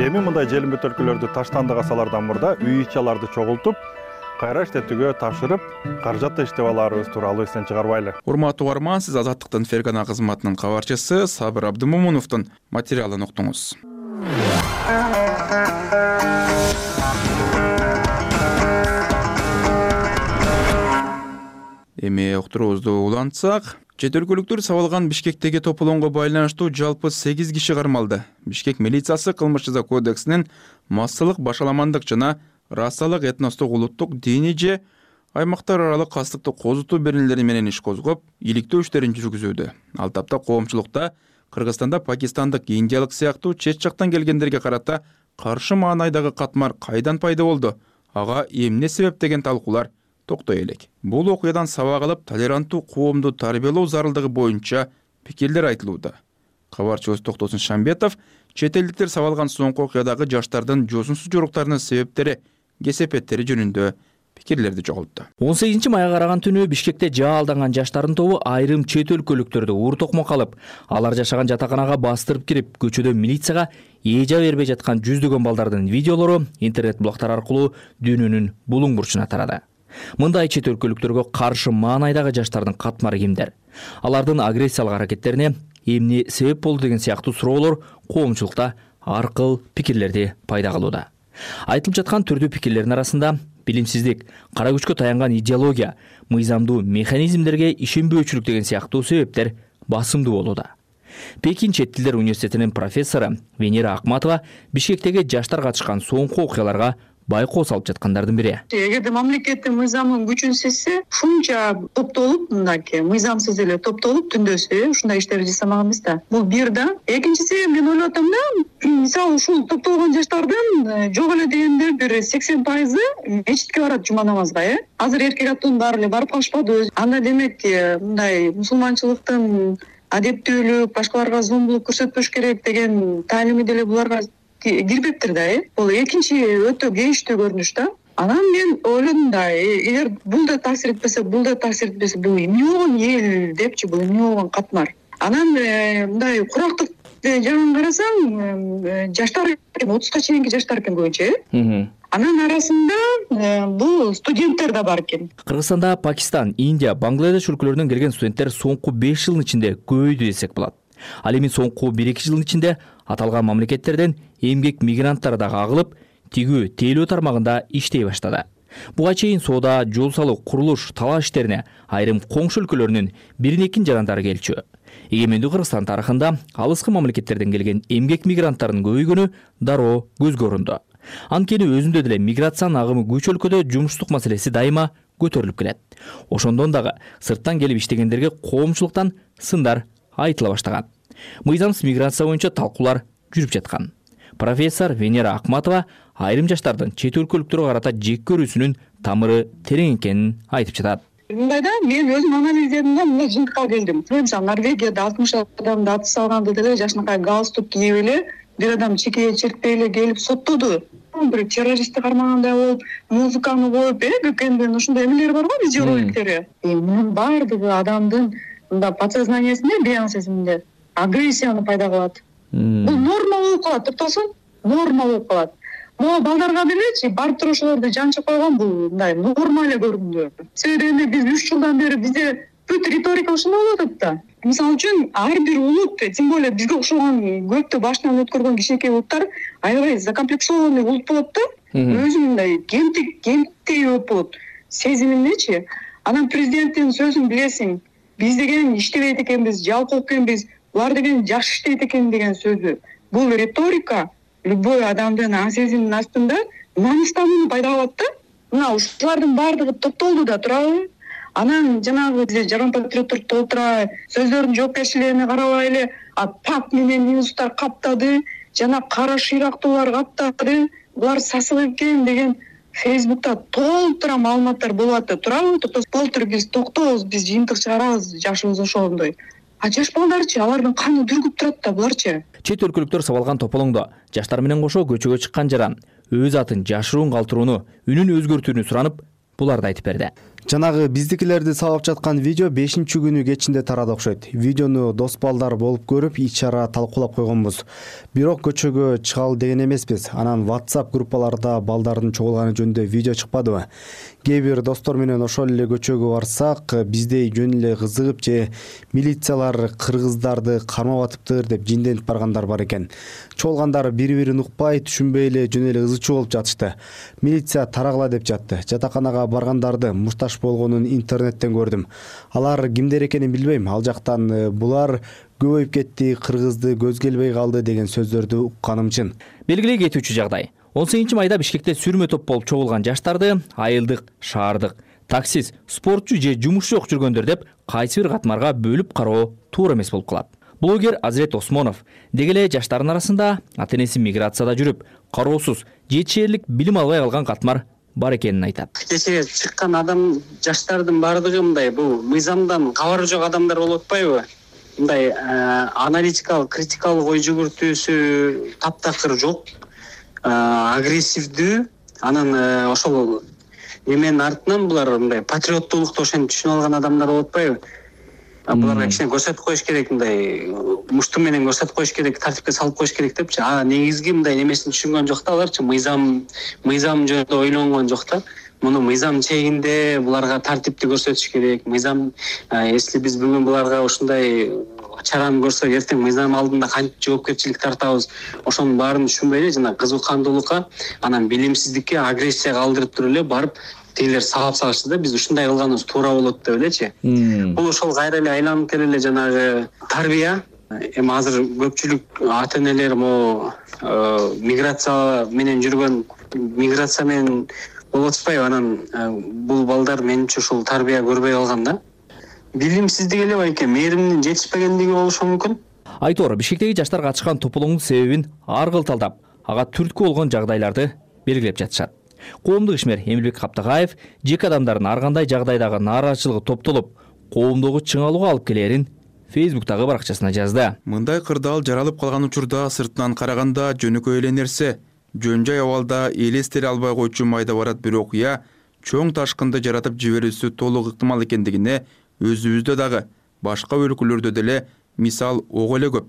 Эми мындай желим бөтөлкөлөрдү таштандык асалардан мурда үй ичаларды чогултуп, кайра иштетүүгө тапшырып, каражатты иштеп алаарыбыз тууралуу эстен чыгарбайлы. Урматтуу угарман, сиз Азаттыктын Фергана кызматынын кабарчысы Сабыр Абдымомуновдун материалын уктуңуз. Эми уктуруубузду улантсак, чет өлкөлүктөр сабалган Бишкектеги тополоңго байланыштуу жалпы сегиз киши кармалды. Бишкек милициясы кылмыш жаза кодексинин массалык башаламандык жана расалык, этностук, улуттук, диний же аймактар аралык кастыкты козутуу беренелери менен иш козгоп, иликтөө иштерин жүргүзүүдө. Ал тапта коомчулукта Кыргызстанда пакистандык, индиялык сыяктуу чет жактан келгендерге карата каршы маанайдагы катмар кайдан пайда болду? Ага эмне себеп деген талкуулар токтой элек. Бул окуядан сабак алып, толеранттуу коомду тарбиялоо зарылдыгы боюнча пикирлер айтылууда. Кабарчыбыз Токтосун Шамбетов чет элдиктер сабалган соңку окуядагы жаштардын жосунсуз жоруктарынын себептери, кесепеттери жөнүндө пикирлерди чогултту. он сегизинчи майга караган түнү Бишкекте жаалданган жаштардын тобу айрым чет өлкөлүктөрдү уур токмок алып, алар жашаган жатаканага бастырып кирип, көчөдө милицияга эжа бербей жаткан жүздөгөн балдардын видеолору интернет блогтар аркылуу дүйнөнүн булуң бурчуна тарады. Мындай чет өлкөлүктөргө каршы маанайдагы жаштардын катмары кимдер? Алардын агрессиялык аракеттерине эмне себеп болду деген сыяктуу суроолор коомчулукта ар кыл пикирлерди пайда кылууда. Айтылып жаткан түрдүү пикирлердин арасында билимсиздик, кара күчкө таянган идеология, мыйзамдуу механизмдерге ишенбөөчүлүк деген сыяктуу себептер басымдуу болууда. Пекин чет тилдер университетинин профессору Венера Акматова Бишкектеги жаштар катышкан соңку окуяларга байкоо салып жаткандардын бири. Эгерде мамлекеттин мыйзамын күчүн сезсе, ушунча топтолуп, мындай мыйзамсыз эле топтолуп түндөсү ушундай иштерди жасамак эмес да. Бул бир да. Экинчиси, мен ойлоп атам да, мисалы ушул топтолгон жаштардын жок эле дегенде бир сексен пайызы мечитке барат жума намазга, э. Азыр эркек аттын баары эле барып калышпады. Анда демек мындай мусулманчылыктын адептүүлүк, башкаларга зомбулук көрсөтпөш керек деген таалими деле буларга кирбептир да, э. Бул экинчи өтө кейиштүү көрүнүш да. Анан мен ойлодум да, эгер бул да таасир этпесе, бул да таасир этпесе, бул эмне болгон эл депчи, бул эмне болгон катмар. Анан мындай курактык жагын карасаң, жаштар отузга чейинки жаштар экен көбүнчө, э. Анын арасында бул студенттер да бар экен. Кыргызстанда Пакистан, Индия, Бангладеш өлкөлөрүнөн келген студенттер соңку беш жылдын ичинде көбөйдү десек болот. Ал эми соңку бир эки жылдын ичинде аталган мамлекеттерден эмгек мигранттары да кагылып, тигүү, тейлөө тармагында иштей баштады. Буга чейин соода, жол салуу, курулуш, талаш иштерине айрым коңшу өлкөлөрүнүн бирин экин жарандары келчү. Эгемендүү Кыргызстан тарыхында алыскы мамлекеттерден келген эмгек мигранттарынын көбөйгөнү дароо көзгө урунду. Анткени өзүндө деле миграциянын агымы күч өлкөдө жумуштук маселеси дайыма көтөрүлүп келет. Ошондон дагы сырттан келип иштегендерге коомчулуктан сындар айтыла баштаган. Мыйзамсыз миграция боюнча талкуулар жүрүп жаткан. Профессор Венера Акматова айрым жаштардын чет өлкөлүктөргө карата жек көрүүсүнүн тамыры терең экенин айтып жатат. Мындай да, мен өзүм анализдедим да, мындай жыйынтыкка келдим. Мисалы Норвегияда алтымыш адамды атыс салганды деле жашынакай галстук кийип эле бир адам чекеге чертпей эле келип соттоду. Бир террористти кармагандай болуп, музыканы коюп, э, көкөндөн ушундай эмелер бар го, видеороликтери. Мунун баардыгы адамдын мындай подсознаниясында, бейан сезиминде агрессияны пайда кылат. Бул норма болуп калат, токтосун, норма болуп калат. Могу балдарга делечи барып туруп ошолорду жанчып койгон бул мындай норма эле көрүндү. Себеби биз үч жылдан бери бизде бүт риторика ошондой болуп атат да. Мисалы үчүн ар бир улут, тем более бизге окшогон көптү башынан өткөргөн кичинекей улуттар аябай закомплексованный улут болот да. Өзү мындай кемтик, кемтей болот сезиминдечи. Анан президенттин сөзүн билесиң, биз деген иштебейт экенбиз, жалкоо экенбиз, булар деген жакшы иштейт экен деген сөзү. Бул риторика любой адамдын ан сезиминин астында намыстанууну пайда кылат да. Мына ушулардын баардыгы топтолду да турабы? Анан жанагы биз жаран патриоттор толтура, сөздөрдүн жоопкерчилигине карабай эле пак менен ньюстар каптады, жана кара шыйрактуулар каптады, булар сасык экен деген Фейсбукта толтура маалыматтар болуп атат. Турабы, толтур биз токтобуз, биз жыйынтык чыгарабыз, жашыбыз ошондой. А жаш балдарчы, алардын каны дүргүп турат да буларчы. Чет өлкөлүктөр сабалган тополоңдо жаштар менен кошо көчөгө чыккан жаран өз атын жашыруун калтырууну, үнүн өзгөртүүнү суранып, буларды айтып берди. Жанагы биздикилерди сабап жаткан видео бешинчи күнү кечинде тарады окшойт. Видеону дос балдар болуп көрүп, ич-чара талкуулап койгонбуз. Бирок көчөгө чыгалы деген эмеспиз. Анан WhatsApp группаларда балдардын чогулганы жөнүндө видео чыкпадыбы? Кээ бир достор менен ошол эле көчөгө барсак, биздей жөн эле кызыгып же милициялар кыргыздарды кармап атыптыр деп жинденип баргандар бар экен. Чогулгандар бири-бирин укпай, түшүнбөй эле жөн эле ызычуу болуп жатышты. Милиция тарагыла деп жатты. Жатаканага баргандарды мушташ болгонун интернеттен көрдүм. Алар кимдер экенин билбейм. Ал жактан булар көбөйүп кетти, кыргызды көз келбей калды деген сөздөрдү укканым чын. Белгилей кетүүчү жагдай. он сегизинчи майда Бишкекте сүрмө топ болуп чогулган жаштарды айылдык, шаардык, таксист, спортчу же жумуш жок жүргөндөр деп кайсы бир катмарга бөлүп кароо туура эмес болуп калат. Блогер Азирет Осмонов деги эле жаштардын арасында ата-энеси миграцияда жүрүп, кароосуз, жетишээрлик билим албай калган катмар бар экенин айтат. Кечээ чыккан адам жаштардын баардыгы мындай бул мыйзамдан кабары жок адамдар болуп атпайбы? Мындай аналитикалык, критикалык ой жүгүртүүсү таптакыр жок, агрессивдүү. Анан ошол эменин артынан булар мындай патриоттуулукту ошентип түшүнүп алган адамдар болуп атпайбы? Буларга кичине көрсөтүп коюш керек, мындай мушту менен көрсөтүп коюш керек, тартипке салып коюш керек депчи. А негизги мындай немесин түшүнгөн жок да аларчы, мыйзам мыйзам жөнүндө ойлонгон жок да. Муну мыйзам чегинде буларга тартипти көрсөтүш керек. Мыйзам, если биз бүгүн буларга ушундай чараны көрсөк, эртең мыйзам алдында кантип жоопкерчилик тартабыз, ошонун баарын түшүнбөй эле жана кызыккандуулукка, анан билимсиздикке, агрессияга алдырып туруп эле барып тегилер сабап салышты да, биз ушундай кылганыбыз туура болот деп элечи. Бул ошол кайра эле айланып келе эле жанагы тарбия. Эми азыр көпчүлүк ата-энелер могу миграция менен жүргөн, миграция менен болуп атпайбы, анан бул балдар менимче ушул тарбия көрбөй калган да. Билимсиздик эле байке, мээримдин жетишпегендиги болушу мүмкүн. Айтор, Бишкектеги жаштар катышкан тополоңдун себебин ар кыл талдап, ага түрткү болгон жагдайларды белгилеп жатышат. Коомдук ишмер Эмилбек Каптагаев жеке адамдардын ар кандай жагдайдагы нааразычылыгы топтолуп, коомдогу чыңалууга алып келерин Фейсбуктагы баракчасына жазды. Мындай кырдаал жаралып калган учурда сыртынан караганда жөнөкөй эле нерсе. Жөн жай абалда элестере албай койчу майда барат бир окуя чоң ташкынды жаратып жиберүүсү толук ыктымал экендигине өзүбүздө дагы башка өлкөлөрдө деле мисал ого эле көп.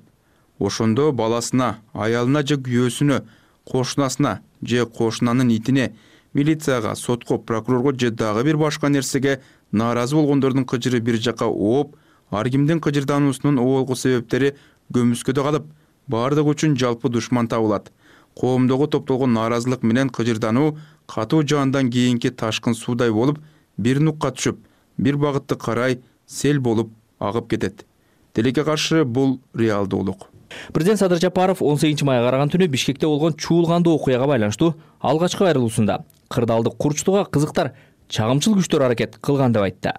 Ошондо баласына, аялына же күйөөсүнө, кошунасына же кошунанын итине, милицияга, сотко, прокурорго же дагы бир башка нерсеге нааразы болгондордун кыжыры бир жакка ооп, ар кимдин кыжырдануусунун оолку себептери көмүскөдө калып, баардыгы үчүн жалпы душман табылат. Коомдогу топтолгон нааразылык менен кыжырдануу катуу жаандан кийинки ташкын суудай болуп, бир нукка түшүп, бир багытты карай сел болуп агып кетет. Тилекке каршы бул реалдуулук. Президент Садыр Жапаров он сегизинчи майга караган түнү Бишкекте болгон чуулгандуу окуяга байланыштуу алгачкы кайрылуусунда кырдаалды курчутууга кызыктар чагымчыл күчтөр аракет кылган деп айтты.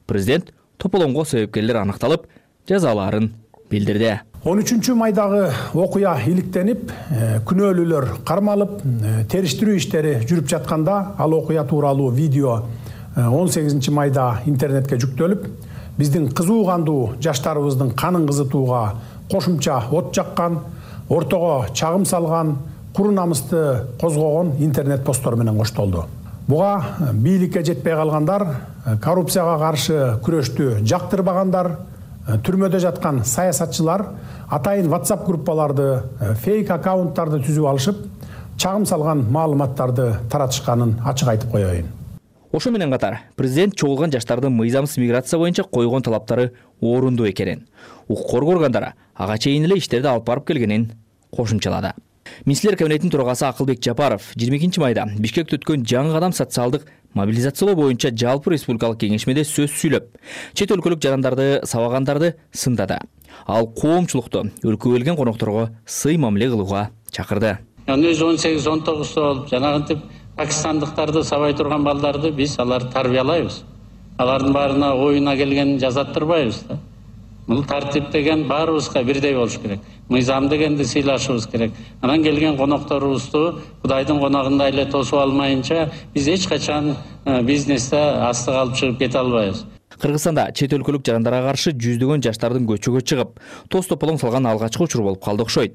Президент тополоңго себепкерлер аныкталып, жазаларын билдирди. он үчүнчү майдагы окуя иликтенип, күнөөлүүлөр кармалып, териштирүү иштери жүрүп жатканда ал окуя тууралуу видео он сегизинчи майда интернетке жүктөлүп, биздин кызуу кандуу жаштарыбыздын канын кызытууга кошумча от жаккан, ортого чагым салган, куру намысты козгогон интернет посттор менен коштолду. Буга бийликке жетпей калгандар, коррупцияга каршы күрөштү жактырбагандар, түрмөдө жаткан саясатчылар атайын WhatsApp группаларды, фейк аккаунттарды түзүп алышып, чагым салган маалыматтарды таратышканын ачык айтып коеюн. Ошо менен катар, президент чогулган жаштардын мыйзамсыз миграция боюнча койгон талаптары орунду экенин, укук органдары ага чейин эле иштерди алып барып келгенин кошумчалады. Министрлер кабинетинин төрагасы Акылбек Жапаров жыйырма экинчи майда Бишкекте өткөн жаңы кадам социалдык мобилизациялоо боюнча жалпы республикалык кеңешмеде сөз сүйлөп, чет өлкөлүк жарандарды сабагандарды сындады. Ал коомчулукту өлкөгө келген конокторго сый мамиле кылууга чакырды. Өзү он сегиз он тогуз болуп, жанагынтип пакистандыктарды сабай турган балдарды биз аларды тарбиялайбыз. Алардын баарына оюна келгенин жазаттырбайбыз да. Бул тартип деген баарыбызга бирдей болуш керек. Мыйзам дегенди сыйлашыбыз керек. Анан келген конокторубузду Кудайдын коногундай эле тосуп алмайынча биз эч качан бизнесте асты калып чыгып кете албайбыз. Кыргызстанда чет өлкөлүк жарандарга каршы жүздөгөн жаштардын көчөгө чыгып, тоз тополоң салган алгачкы учур болуп калды окшойт.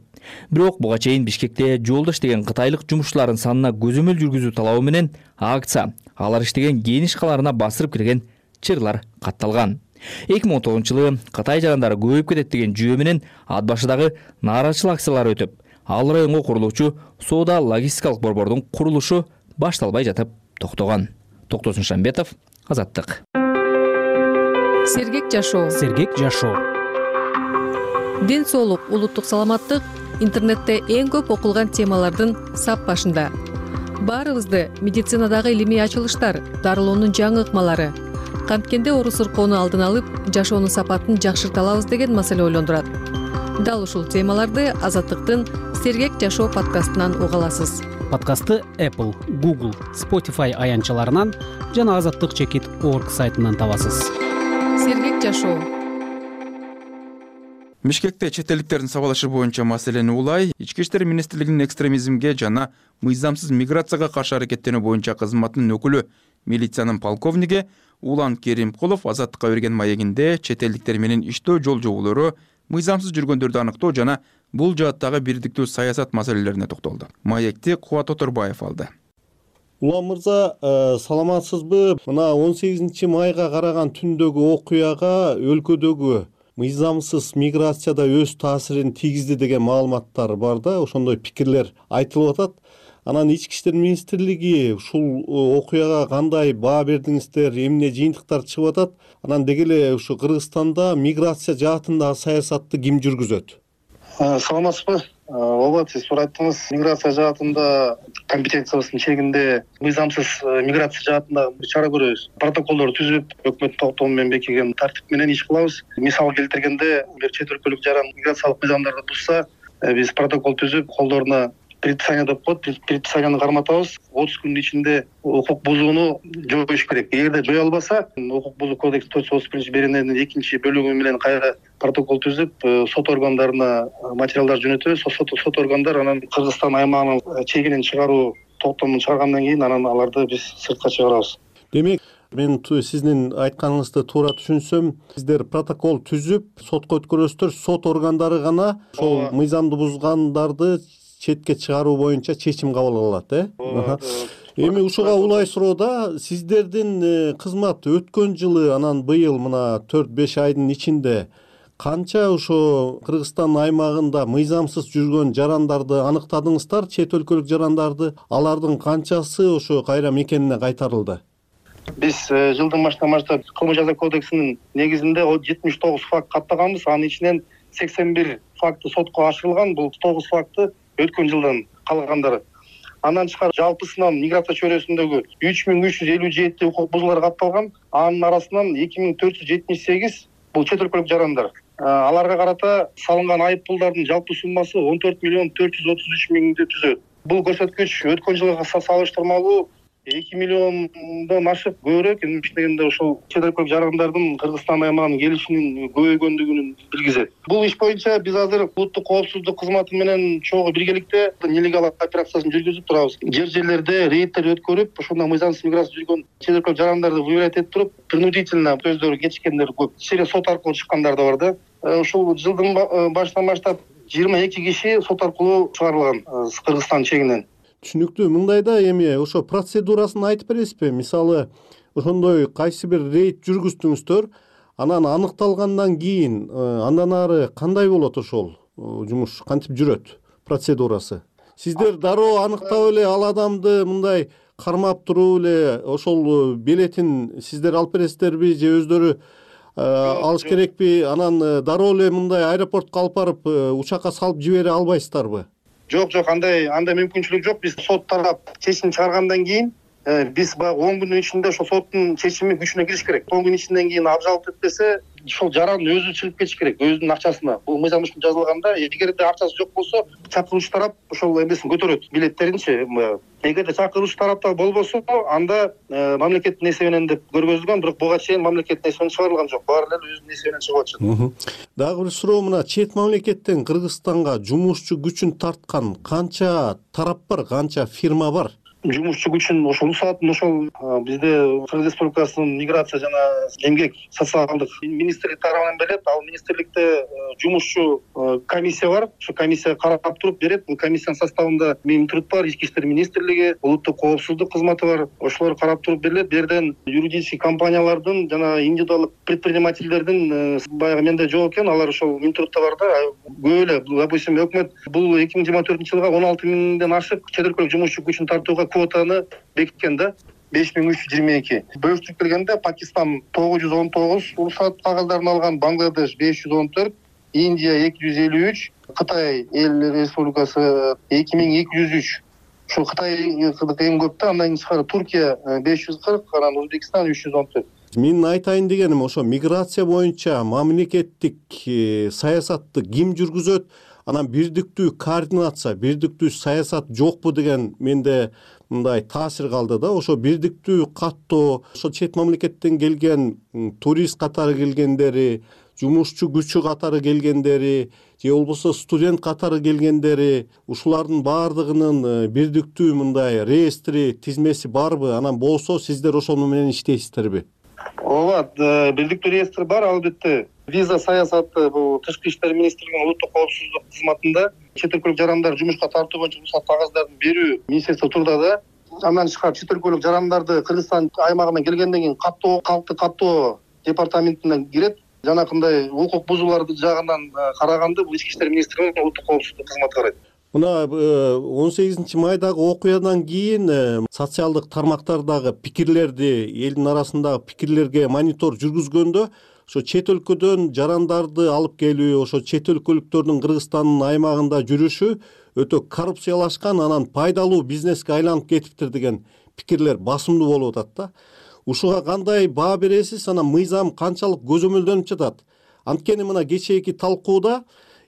Бирок буга чейин Бишкекте жолдо иштеген кытайлык жумушчулардын санына көзөмөл жүргүзүү талабы менен акция алар иштеген кийиниш каларына басырып кирген чырлар катталган. эки миң он тогузунчу жылы Кытай жарандары көбөйүп кетет деген жүйө менен ат башыдагы нааразычылык акциялары өтүп, ал районго курулуучу соода логистикалык борбордун курулушу башталбай жатып токтогон. Токтосун Шамбетов, Азаттык. Сергек жашоо. Сергек жашоо. Ден соолук, улуттук саламаттык интернетте эң көп окулган темалардын сап башында. Баарыбызды медицинадагы илимий ачылыштар, дарылоонун жаңы ыкмалары, канткенде оору сыркоону алдын алып, жашоонун сапатын жакшырта алабыз деген маселе ойлондурат. Дал ушул темаларды Азаттыктын Сергек жашоо подкастынан уга аласыз. Подкастты Apple, Google, Spotify аянтчаларынан жана азаттык чекит орг сайтынан табасыз. Сергек жашоо. Бишкекте чет элдиктердин сабалашы боюнча маселени улай, Ички иштер министрлигинин экстремизмге жана мыйзамсыз миграцияга каршы аракеттенүү боюнча кызматынын өкүлү, милициянын полковниги Улан Керимкулов Азаттыкка берген маегинде чет элдиктер менен иштөө жол жоболору, мыйзамсыз жүргөндөрдү аныктоо жана бул жааттагы бирдиктүү саясат маселелерине токтолду. Маекти Кубат Оторбаев алды. Улан мырза, саламатсызбы? Мына он сегизинчи майга караган түндөгү окуяга өлкөдөгү мыйзамсыз миграцияда өз таасирин тийгизди деген маалыматтар бар да, ошондой пикирлер айтылып атат. Анан Ички иштер министрлиги ушул окуяга кандай баа бердиңиздер, эмне жыйынтыктар чыгып атат? Анан деги эле ушу Кыргызстанда миграция жаатындагы саясатты ким жүргүзөт? Саламатсызбы? Ооба, сиз туура айттыңыз. Миграция жаатында компетенциябыздын чегинде мыйзамсыз миграция жаатында чара көрөбүз. Протоколдор түзүп, өкмөттүн токтому менен бекиген тартип менен иш кылабыз. Мисал келтиргенде, чет өлкөлүк жаран миграциялык мыйзамдарды бузса, биз протокол түзүп, колдоруна предписание деп коет, предписанияны карматабыз. отуз күндүн ичинде укук бузууну жоюш керек. Эгерде жое албаса, укук бузуу кодекс төрт жүз отуз биринчи берененин экинчи бөлүгү менен кайра протокол түзүп, сот органдарына материалдар жөнөтөбүз. Сот органдар анан Кыргызстан аймагынын чегинен чыгаруу токтомун чыгаргандан кийин анан аларды биз сыртка чыгарабыз. Демек, мен сиздин айтканыңызды туура түшүнсөм, сиздер протокол түзүп, сотко өткөрөсүздөр, сот органдары гана ошол мыйзамды бузгандарды четке чыгаруу боюнча чечим кабыл алат, э? Эми ушуга улай суроода сиздердин кызмат өткөн жылы анан быйыл мына төрт беш айдын ичинде канча ошо Кыргызстан аймагында мыйзамсыз жүргөн жарандарды аныктадыңыздар, чет өлкөлүк жарандарды? Алардын канчасы ошо кайра мекенине кайтарылды? Биз жылдын башынан баштап кылмыш жаза кодексинин негизинде жетимиш тогуз факт каттаганбыз. Анын ичинен сексен бир факты сотко ашырылган. Бул тогуз факты өткөн жылдан калгандары. Андан тышкары жалпысынан миграция чөйрөсүндөгү үч миң үч жүз элүү жети укук бузуулар катталган. Анын арасынан эки миң төрт жүз жетимиш сегиз бул чет өлкөлүк жарандар. Аларга карата салынган айып пулдардын жалпы суммасы он төрт миллион төрт жүз отуз үч миңди түзөт. Бул көрсөткүч өткөн жылга салыштырмалуу эки миллиондон ашып көбүрөөк. Эмне дегенде ошол чет өлкөлүк жарандардын Кыргызстан аймагына келишинин көбөйгөндүгүн билгизет. Бул иш боюнча биз азыр улуттук коопсуздук кызматы менен чогуу биргеликте нелегал операциясын жүргүзүп турабыз. Жер жерлерде рейдтер өткөрүп, ошондо мыйзамсыз миграция жүргөн чет өлкөлүк жарандарды выявлять этип туруп, принудительно өздөрү кечиккендер көп. Через сот аркылуу чыккандар да бар да. Ушул жылдын башынан баштап жыйырма эки киши сот аркылуу чыгарылган Кыргызстан чегинен. Түшүнүктүү. Мындайда эми ошо процедурасын айтып бересизби? Мисалы, ошондой кайсы бир рейд жүргүздүңүздөр, анан аныкталгандан кийин андан ары кандай болот ошол жумуш? Кантип жүрөт процедурасы? Сиздер дароо аныктап эле ал адамды мындай кармап туруп эле ошол билетин сиздер алып бересиздерби же өздөрү алыш керекпи? Анан дароо эле мындай аэропортко алып барып учакка салып жибере албайсыздарбы? Жок, жок, андай андай мүмкүнчүлүк жок. Биз сот тарап чечим чыгаргандан кийин биз баягы он күндүн ичинде ошол соттун чечими күчүнө кириш керек. он күн ичинден кийин абжалып өтпөсө ошол жарандын өзү чыгып кетиш керек өзүнүн акчасына. Бул мыйзам үчүн жазылганда, эгерде акчасы жок болсо, чакыруучу тарап ошол эмесин көтөрөт, билеттеринчи. Эгерде чакыруучу тарапта болбосо, анда мамлекеттин эсебинен деп көргөзүлгөн, бирок буга чейин мамлекеттин эсебинен чыгарылган жок. Баары эле өзүнүн эсебинен чыгып атышат. Дагы бир суроо мына, чет мамлекеттен Кыргызстанга жумушчу күчүн тарткан канча тарап бар, канча фирма бар? Жумушчу күчүн ошол усатын ошол бизде Кыргыз Республикасынын миграция жана эмгек социалдык министрлик тарабынан берет. Ал министрликте жумушчу комиссия бар. Ошо комиссия карап туруп берет. Бул комиссиянын составында Минтруд бар, Ички иштер министрлиги, улуттук коопсуздук кызматы бар. Ошолор карап туруп берилет. Бу жерден юридический компаниялардын жана индивидуалдык предпринимательдердин баягы менде жок экен, алар ошол Минтрудта бар да. Көп эле, допустим, өкмөт бул эки миң жыйырма төртүнчү жылга он алты миңден ашык чет өлкөлүк жумушчу күчүн тартууга квотаны бекиткен да, беш миң үч жүз жыйырма эки. Бөлүштүрүп келгенде Пакистан тогуз жүз он тогуз уруксат кагаздарын алган, Бангладеш беш жүз он төрт, Индия эки жүз элүү үч, Кытай эл республикасы эки миң эки жүз үч. Ошол Кытай эң көп да, андан кийин тышкары Туркия беш жүз кырк, анан Өзбекстан үч жүз он төрт. Менин айтайын дегеним, ошо миграция боюнча мамлекеттик саясатты ким жүргүзөт? Анан бирдиктүү координация, бирдиктүү саясат жокпу деген менде мындай таасир калды да. Ошо бирдиктүү каттоо, ошо чет мамлекеттен келген турист катары келгендери, жумушчу күчү катары келгендери, же болбосо студент катары келгендери, ушулардын баардыгынын бирдиктүү мындай реестри, тизмеси барбы? Анан болсо сиздер ошону менен иштейсиздерби? Ооба, бирдиктүү реестр бар, албетте. Виза саясаты бул Тышкы иштер министрлигинин улуттук коопсуздук кызматында чет өлкөлүк жарандар жумушка тартуу боюнча уруксат кагаздарын берүү министрликте турда да. Андан тышкары чет өлкөлүк жарандарды Кыргызстан аймагына келгенден кийин каттоо, калкты каттоо департаментине кирет. Жанакындай укук бузууларды жагынан караганды бул Ички иштер министрлигинин улуттук коопсуздук кызматы карайт. Мына он сегизинчи майдагы окуядан кийин социалдык тармактардагы пикирлерди, элдин арасындагы пикирлерге монитор жүргүзгөндө ошо чет өлкөдөн жарандарды алып келүү, ошо чет өлкөлүктөрдүн Кыргызстандын аймагында жүрүшү өтө коррупциялашкан, анан пайдалуу бизнеске айланып кетиптир деген пикирлер басымдуу болуп атат да. Ушуга кандай баа бересиз? Анан мыйзам канчалык көзөмөлдөнүп жатат? Анткени мына кечээки талкууда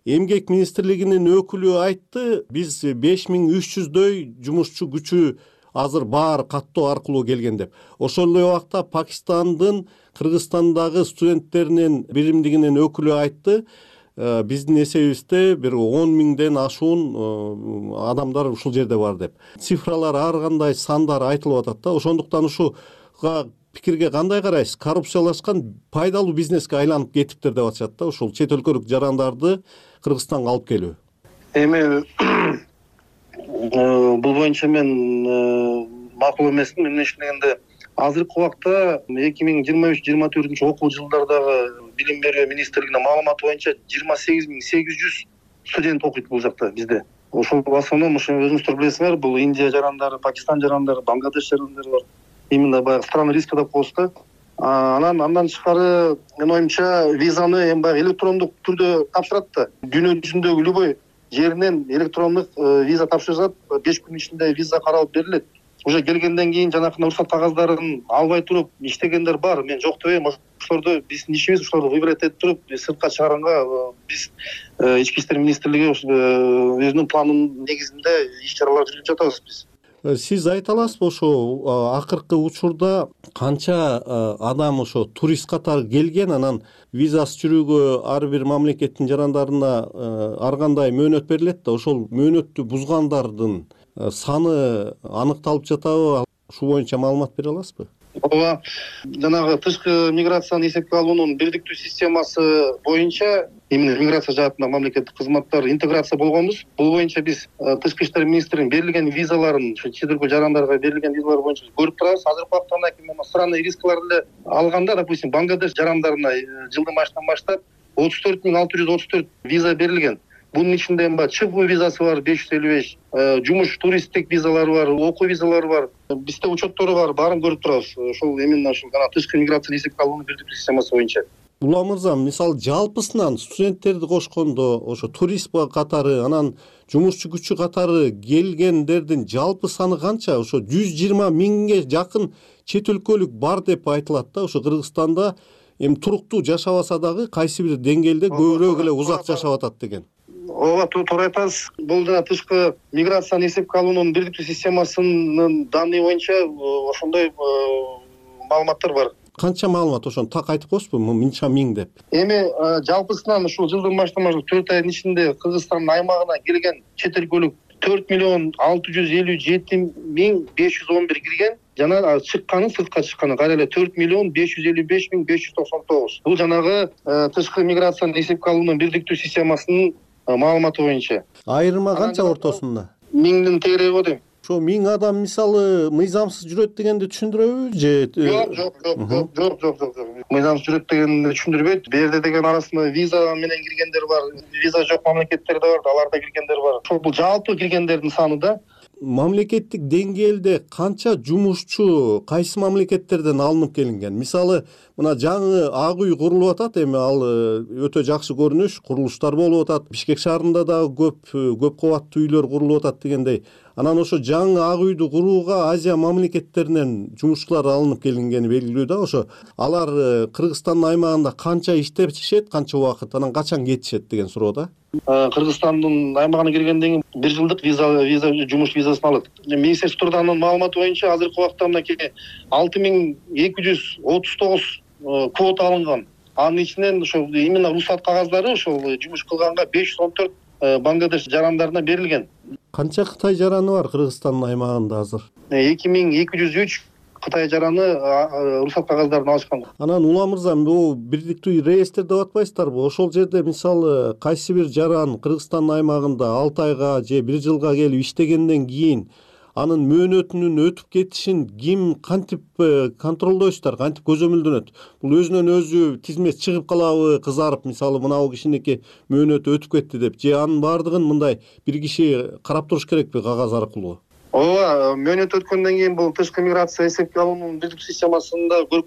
Эмгек министрлигинин өкүлү айтты, биз беш миң үч жүздөй жумушчу күчү азыр баар каттоо аркылуу келген деп. Ошол эле убакта Пакистандын Кыргызстандагы студенттеринин биримдигинин өкүлү айтты, биздин эсебибизде бир он миңден ашуун адамдар ушул жерде бар деп. Цифралар ар кандай сандар айтылып атат да. Ошондуктан ушуга пикирге кандай карайсыз? Коррупциялашкан пайдалуу бизнеске айланып кетиптир деп атышат да, ушул чет өлкөлүк жарандарды Кыргызстанга алып келүү. Эми бул боюнча мен макул эмесмин. Эмне үчүн дегенде азыркы убакта эки миң жыйырма үч жыйырма төртүнчү окуу жылдардагы билим берүү министрлигинин маалыматы боюнча жыйырма сегиз миң сегиз жүз студент окуйт бул жакта бизде. Ошол в основном ошо өзүңүздөр билесиңер, бул Индия жарандары, Пакистан жарандары, Бангладеш жарандары бар. Именно баягы страна риска деп коебуз да. Анан андан тышкары менин оюмча визаны эми баягы электрондук түрдө тапшырат да. Дүйнө жүзүндөгү любой жеринен электрондук виза тапшырышат, беш күн ичинде виза каралып берилет. Уже келгенден кийин жанакындай уруксат кагаздарын албай туруп иштегендер бар. Мен жок дебейм, ошолорду биздин ишибиз ошолорду выбирать этип туруп сыртка чыгарганга биз Ички иштер министрлиги өзүнүн планынын негизинде иш чаралар жүргүзүп жатабыз биз. Сиз айта аласызбы, ошо акыркы учурда канча адам ошо турист катары келген, анан визасы жүрүүгө ар бир мамлекеттин жарандарына ар кандай мөөнөт берилет да, ошол мөөнөттү бузгандардын саны аныкталып жатабы? Ушул боюнча маалымат бере аласызбы? Ооба, жанагы тышкы миграцияны эсепке алуунун бирдиктүү системасы боюнча именно миграция жаатында мамлекеттик кызматтар интеграция болгонбуз. Бул боюнча биз Тышкы иштер министрлигинин берилген визаларын, ошо чет өлкө жарандарга берилген визалар боюнча көрүп турабыз. Азыркы убакта андан кийин странный рискаларды эле алганда, допустим, Бангладеш жарандарына жылдын башынан баштап отуз төрт миң алты жүз отуз төрт виза берилген. Бунун ичинде эми ЧП визасы бар беш жүз элүү беш, жумуш туристтик визалары бар, окуу визалары бар. Бизде учеттору бар, баарын көрүп турабыз. Ошол именно ошол гана тышкы миграция эсепке алуунун бирдиктүү системасы боюнча. Улам мырза, мисалы жалпысынан студенттерди кошкондо ошо турист катары анан жумушчу күчү катары келгендердин жалпы саны канча? Ошо жүз жыйырма миңге жакын чет өлкөлүк бар деп айтылат да. Ошо Кыргызстанда эми туруктуу жашабаса дагы кайсы бир деңгээлде көбүрөөк эле узак жашап атат деген. Ооба, туура айтасыз. Бул жана тышкы миграцияны эсепке алуунун бирдиктүү системасынын данные боюнча ошондой маалыматтар бар. Канча маалымат ошону так айтып коесузбу? Мынча миң деп. Эми жалпысынан ушул жылдын баштан баштап төрт айдын ичинде Кыргызстандын аймагына келген чет өлкөлүк төрт миллион алты жүз элүү жети миң беш жүз он бир кирген, жана чыкканы, сыртка чыкканы кайра эле төрт миллион беш жүз элүү беш миң беш жүз токсон тогуз. Бул жанагы тышкы миграцияны эсепке алуунун бирдиктүү системасынын маалыматы боюнча. Айырма канча ортосунда? Миңдин тегереги го дейм. Ошо миң адам мисалы мыйзамсыз жүрөт дегенди түшүндүрөбү же? Жок, жок, жок, жок, жок, жок, жок. Мыйзамсыз жүрөт дегенди түшүндүрбөйт. Бул жерде деген арасында виза менен киргендер бар, виза жок мамлекеттер да бар, аларда киргендер бар. Ошол бул жалпы киргендердин саны да. Мамлекеттик деңгээлде канча жумушчу кайсы мамлекеттерден алынып келинген? Мисалы, мына жаңы ак үй курулуп атат, эми ал өтө жакшы көрүнүш, курулуштар болуп атат. Бишкек шаарында дагы көп көп кабаттуу үйлөр курулуп атат дегендей. Анан ошо жаңы ак үйдү курууга Азия мамлекеттеринен жумушчулар алынып келингени белгилүү да. Ошо алар Кыргызстандын аймагында канча иштешет, канча убакыт, анан качан кетишет деген суроо да. Кыргызстандын аймагына киргенден кийин бир жылдык виза виза жумуш визасын алат. Министерство трудунун маалыматы боюнча азыркы убакта мынакей алты миң эки жүз отуз тогуз квота алынган. Анын ичинен ошо именно рухсат кагаздары ошол жумуш кылганга беш жүз он төрт Бангладеш жарандарына берилген. Канча Кытай жараны бар Кыргызстандын аймагында азыр? эки миң эки жүз үч Кытай жараны рухсат кагаздарын алышкан. Анан Улам мырза, бул бирдиктүү реестр деп атпайсыздарбы? Ошол жерде мисалы кайсы бир жаран Кыргызстандын аймагында алты айга же бир жылга келип иштегенден кийин анын мөөнөтүнүн өтүп кетишин ким кантип контролдойсуздар, кантип көзөмөлдөнөт? Бул өзүнөн өзү тизмеси чыгып калабы, кызарып, мисалы мына кишиники мөөнөтү өтүп кетти деп, же анын баардыгын мындай бир киши карап туруш керекпи кагаз аркылуу? Ооба, мөөнөт өткөндөн кийин бул тышкы миграция эсепке алуунун бирдиктүү системасында бул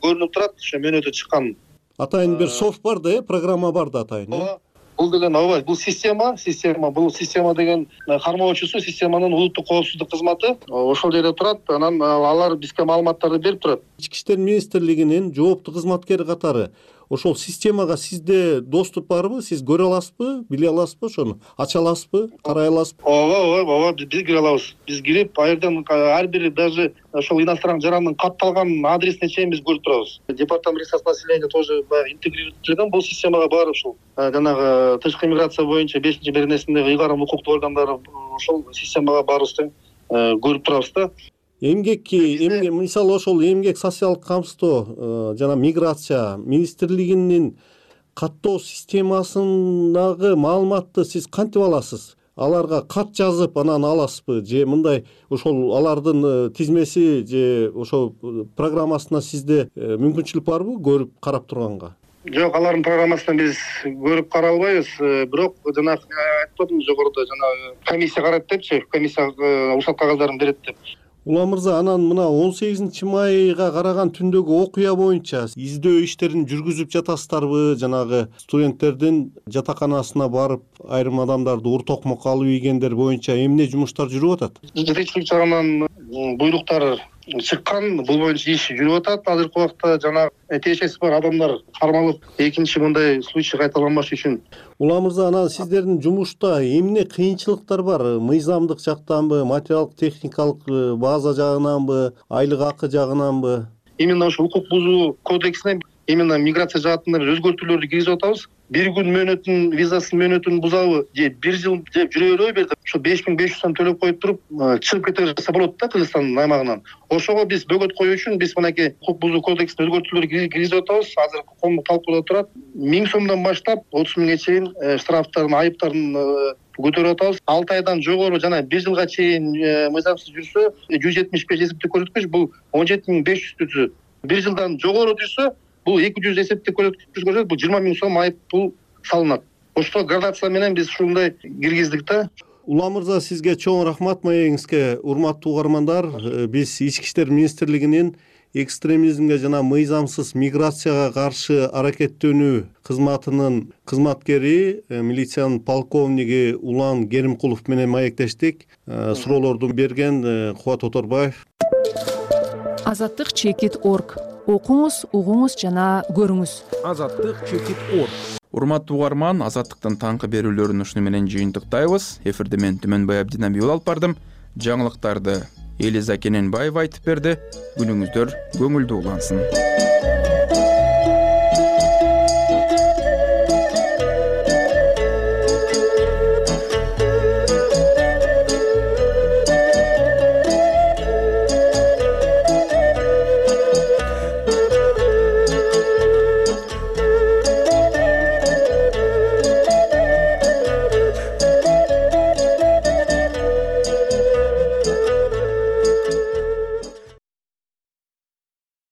көрүнүп турат, ошо мөөнөтү чыккан. Атайын бир софт бар да, программа бар да атайын. Ооба. Бул деген ооба, бул система, система, бул система деген кармоочусу системанын улуттук коопсуздук кызматы ошол жерде турат. Анан алар бизге маалыматтарды берип турат. Ички иштер министрлигинин жооптуу кызматкери катары ошол системага сизде доступ барбы? Сиз көрө аласызбы, биле аласызбы ошону? Ача аласызбы, карай аласызбы? Ооба, ооба, ооба, биз кире алабыз. Биз кирип, а жерден ар бир даже ошол иностранный жарандын катталган адресине чейин биз көрүп турабыз. Департамент регистрации населения тоже интегрирован бул системага бар ушул. Жанагы тышкы миграция боюнча бешинчи беренесиндеги ыйгарым укуктуу органдары ошол системага барыбызды көрүп турабыз да. Эмгекки, эмгек, мисалы ошол эмгек социалдык камсыздоо жана миграция министрлигинин каттоо системасындагы маалыматты сиз кантип аласыз? Аларга кат жазып анан аласызбы же мындай ошол алардын тизмеси же ошол программасына сизде мүмкүнчүлүк барбы көрүп карап турганга? Жок, алардын программасынан биз көрүп карай албайбыз, бирок жана айтып атам жогоруда жана комиссия карайт депчи, комиссия рухсат кагаздарын берет деп. Улам мырза, анан мына он сегизинчи майга караган түндөгү окуя боюнча издөө иштерин жүргүзүп жатасыздарбы? Жанагы студенттердин жатаканасына барып айрым адамдарды ур токмокко алып ийгендер боюнча эмне жумуштар жүрүп атат? Жетекчилик жагынан буйруктар чыккан, бул боюнча иш жүрүп атат. Азыркы убакта жана тиешеси бар адамдар кармалып, экинчи мындай случай кайталанбаш үчүн. Улам мырза, анан сиздердин жумушта эмне кыйынчылыктар бар? Мыйзамдык жактанбы, материалдык техникалык база жагынанбы, айлык акы жагынанбы? Именно ошо укук бузуу кодексине именно миграция жаатында биз өзгөртүүлөрдү киргизип атабыз. Бир күн мөөнөтүн визасын мөөнөтүн бузабы же бир жыл деп жүрө береби берди. Ошо беш миң беш жүз сом төлөп коюп туруп, чыгып кете берсе болот да Кыргызстандын аймагынан. Ошого биз бөгөт коюу үчүн биз мынакей укук бузуу кодексине өзгөртүүлөр киргизип атабыз. Азыр коомдук талкууда турат. миң сомдон баштап отуз миңге чейин штрафтарын, айыптарын көтөрүп атабыз. алты айдан жогору жана бир жылга чейин мыйзамсыз жүрсө жүз жетимиш беш эсептик көрсөткүч бул он жети миң беш жүздү түзөт. бир жылдан жогору жүрсө бул эки жүз эсептик көрсөткүч көрсөтөт, бул жыйырма миң сом айып пул салынат. Ошто градация менен биз ушундай киргиздик да. Улам мырза, сизге чоң рахмат маегиңизге. Урматтуу угармандар, биз Ички иштер министрлигинин экстремизмге жана мыйзамсыз миграцияга каршы аракеттенүү кызматынын кызматкери милициянын полковниги Улан Керимкулов менен маектештик. Суроолорду берген Кубат Оторбаев. Азаттык чекит орг. Окуңуз, угуңуз жана көрүңүз. Азаттык чекит орг. Урматтуу угарман, Азаттыктын таңкы берүүлөрүн ушуну менен жыйынтыктайбыз. Эфирде мен Түмөнбай Абдинабиул алып бардым. Жаңылыктарды Элиза Кененбаева айтып берди. Күнүңүздөр көңүлдүү улансын.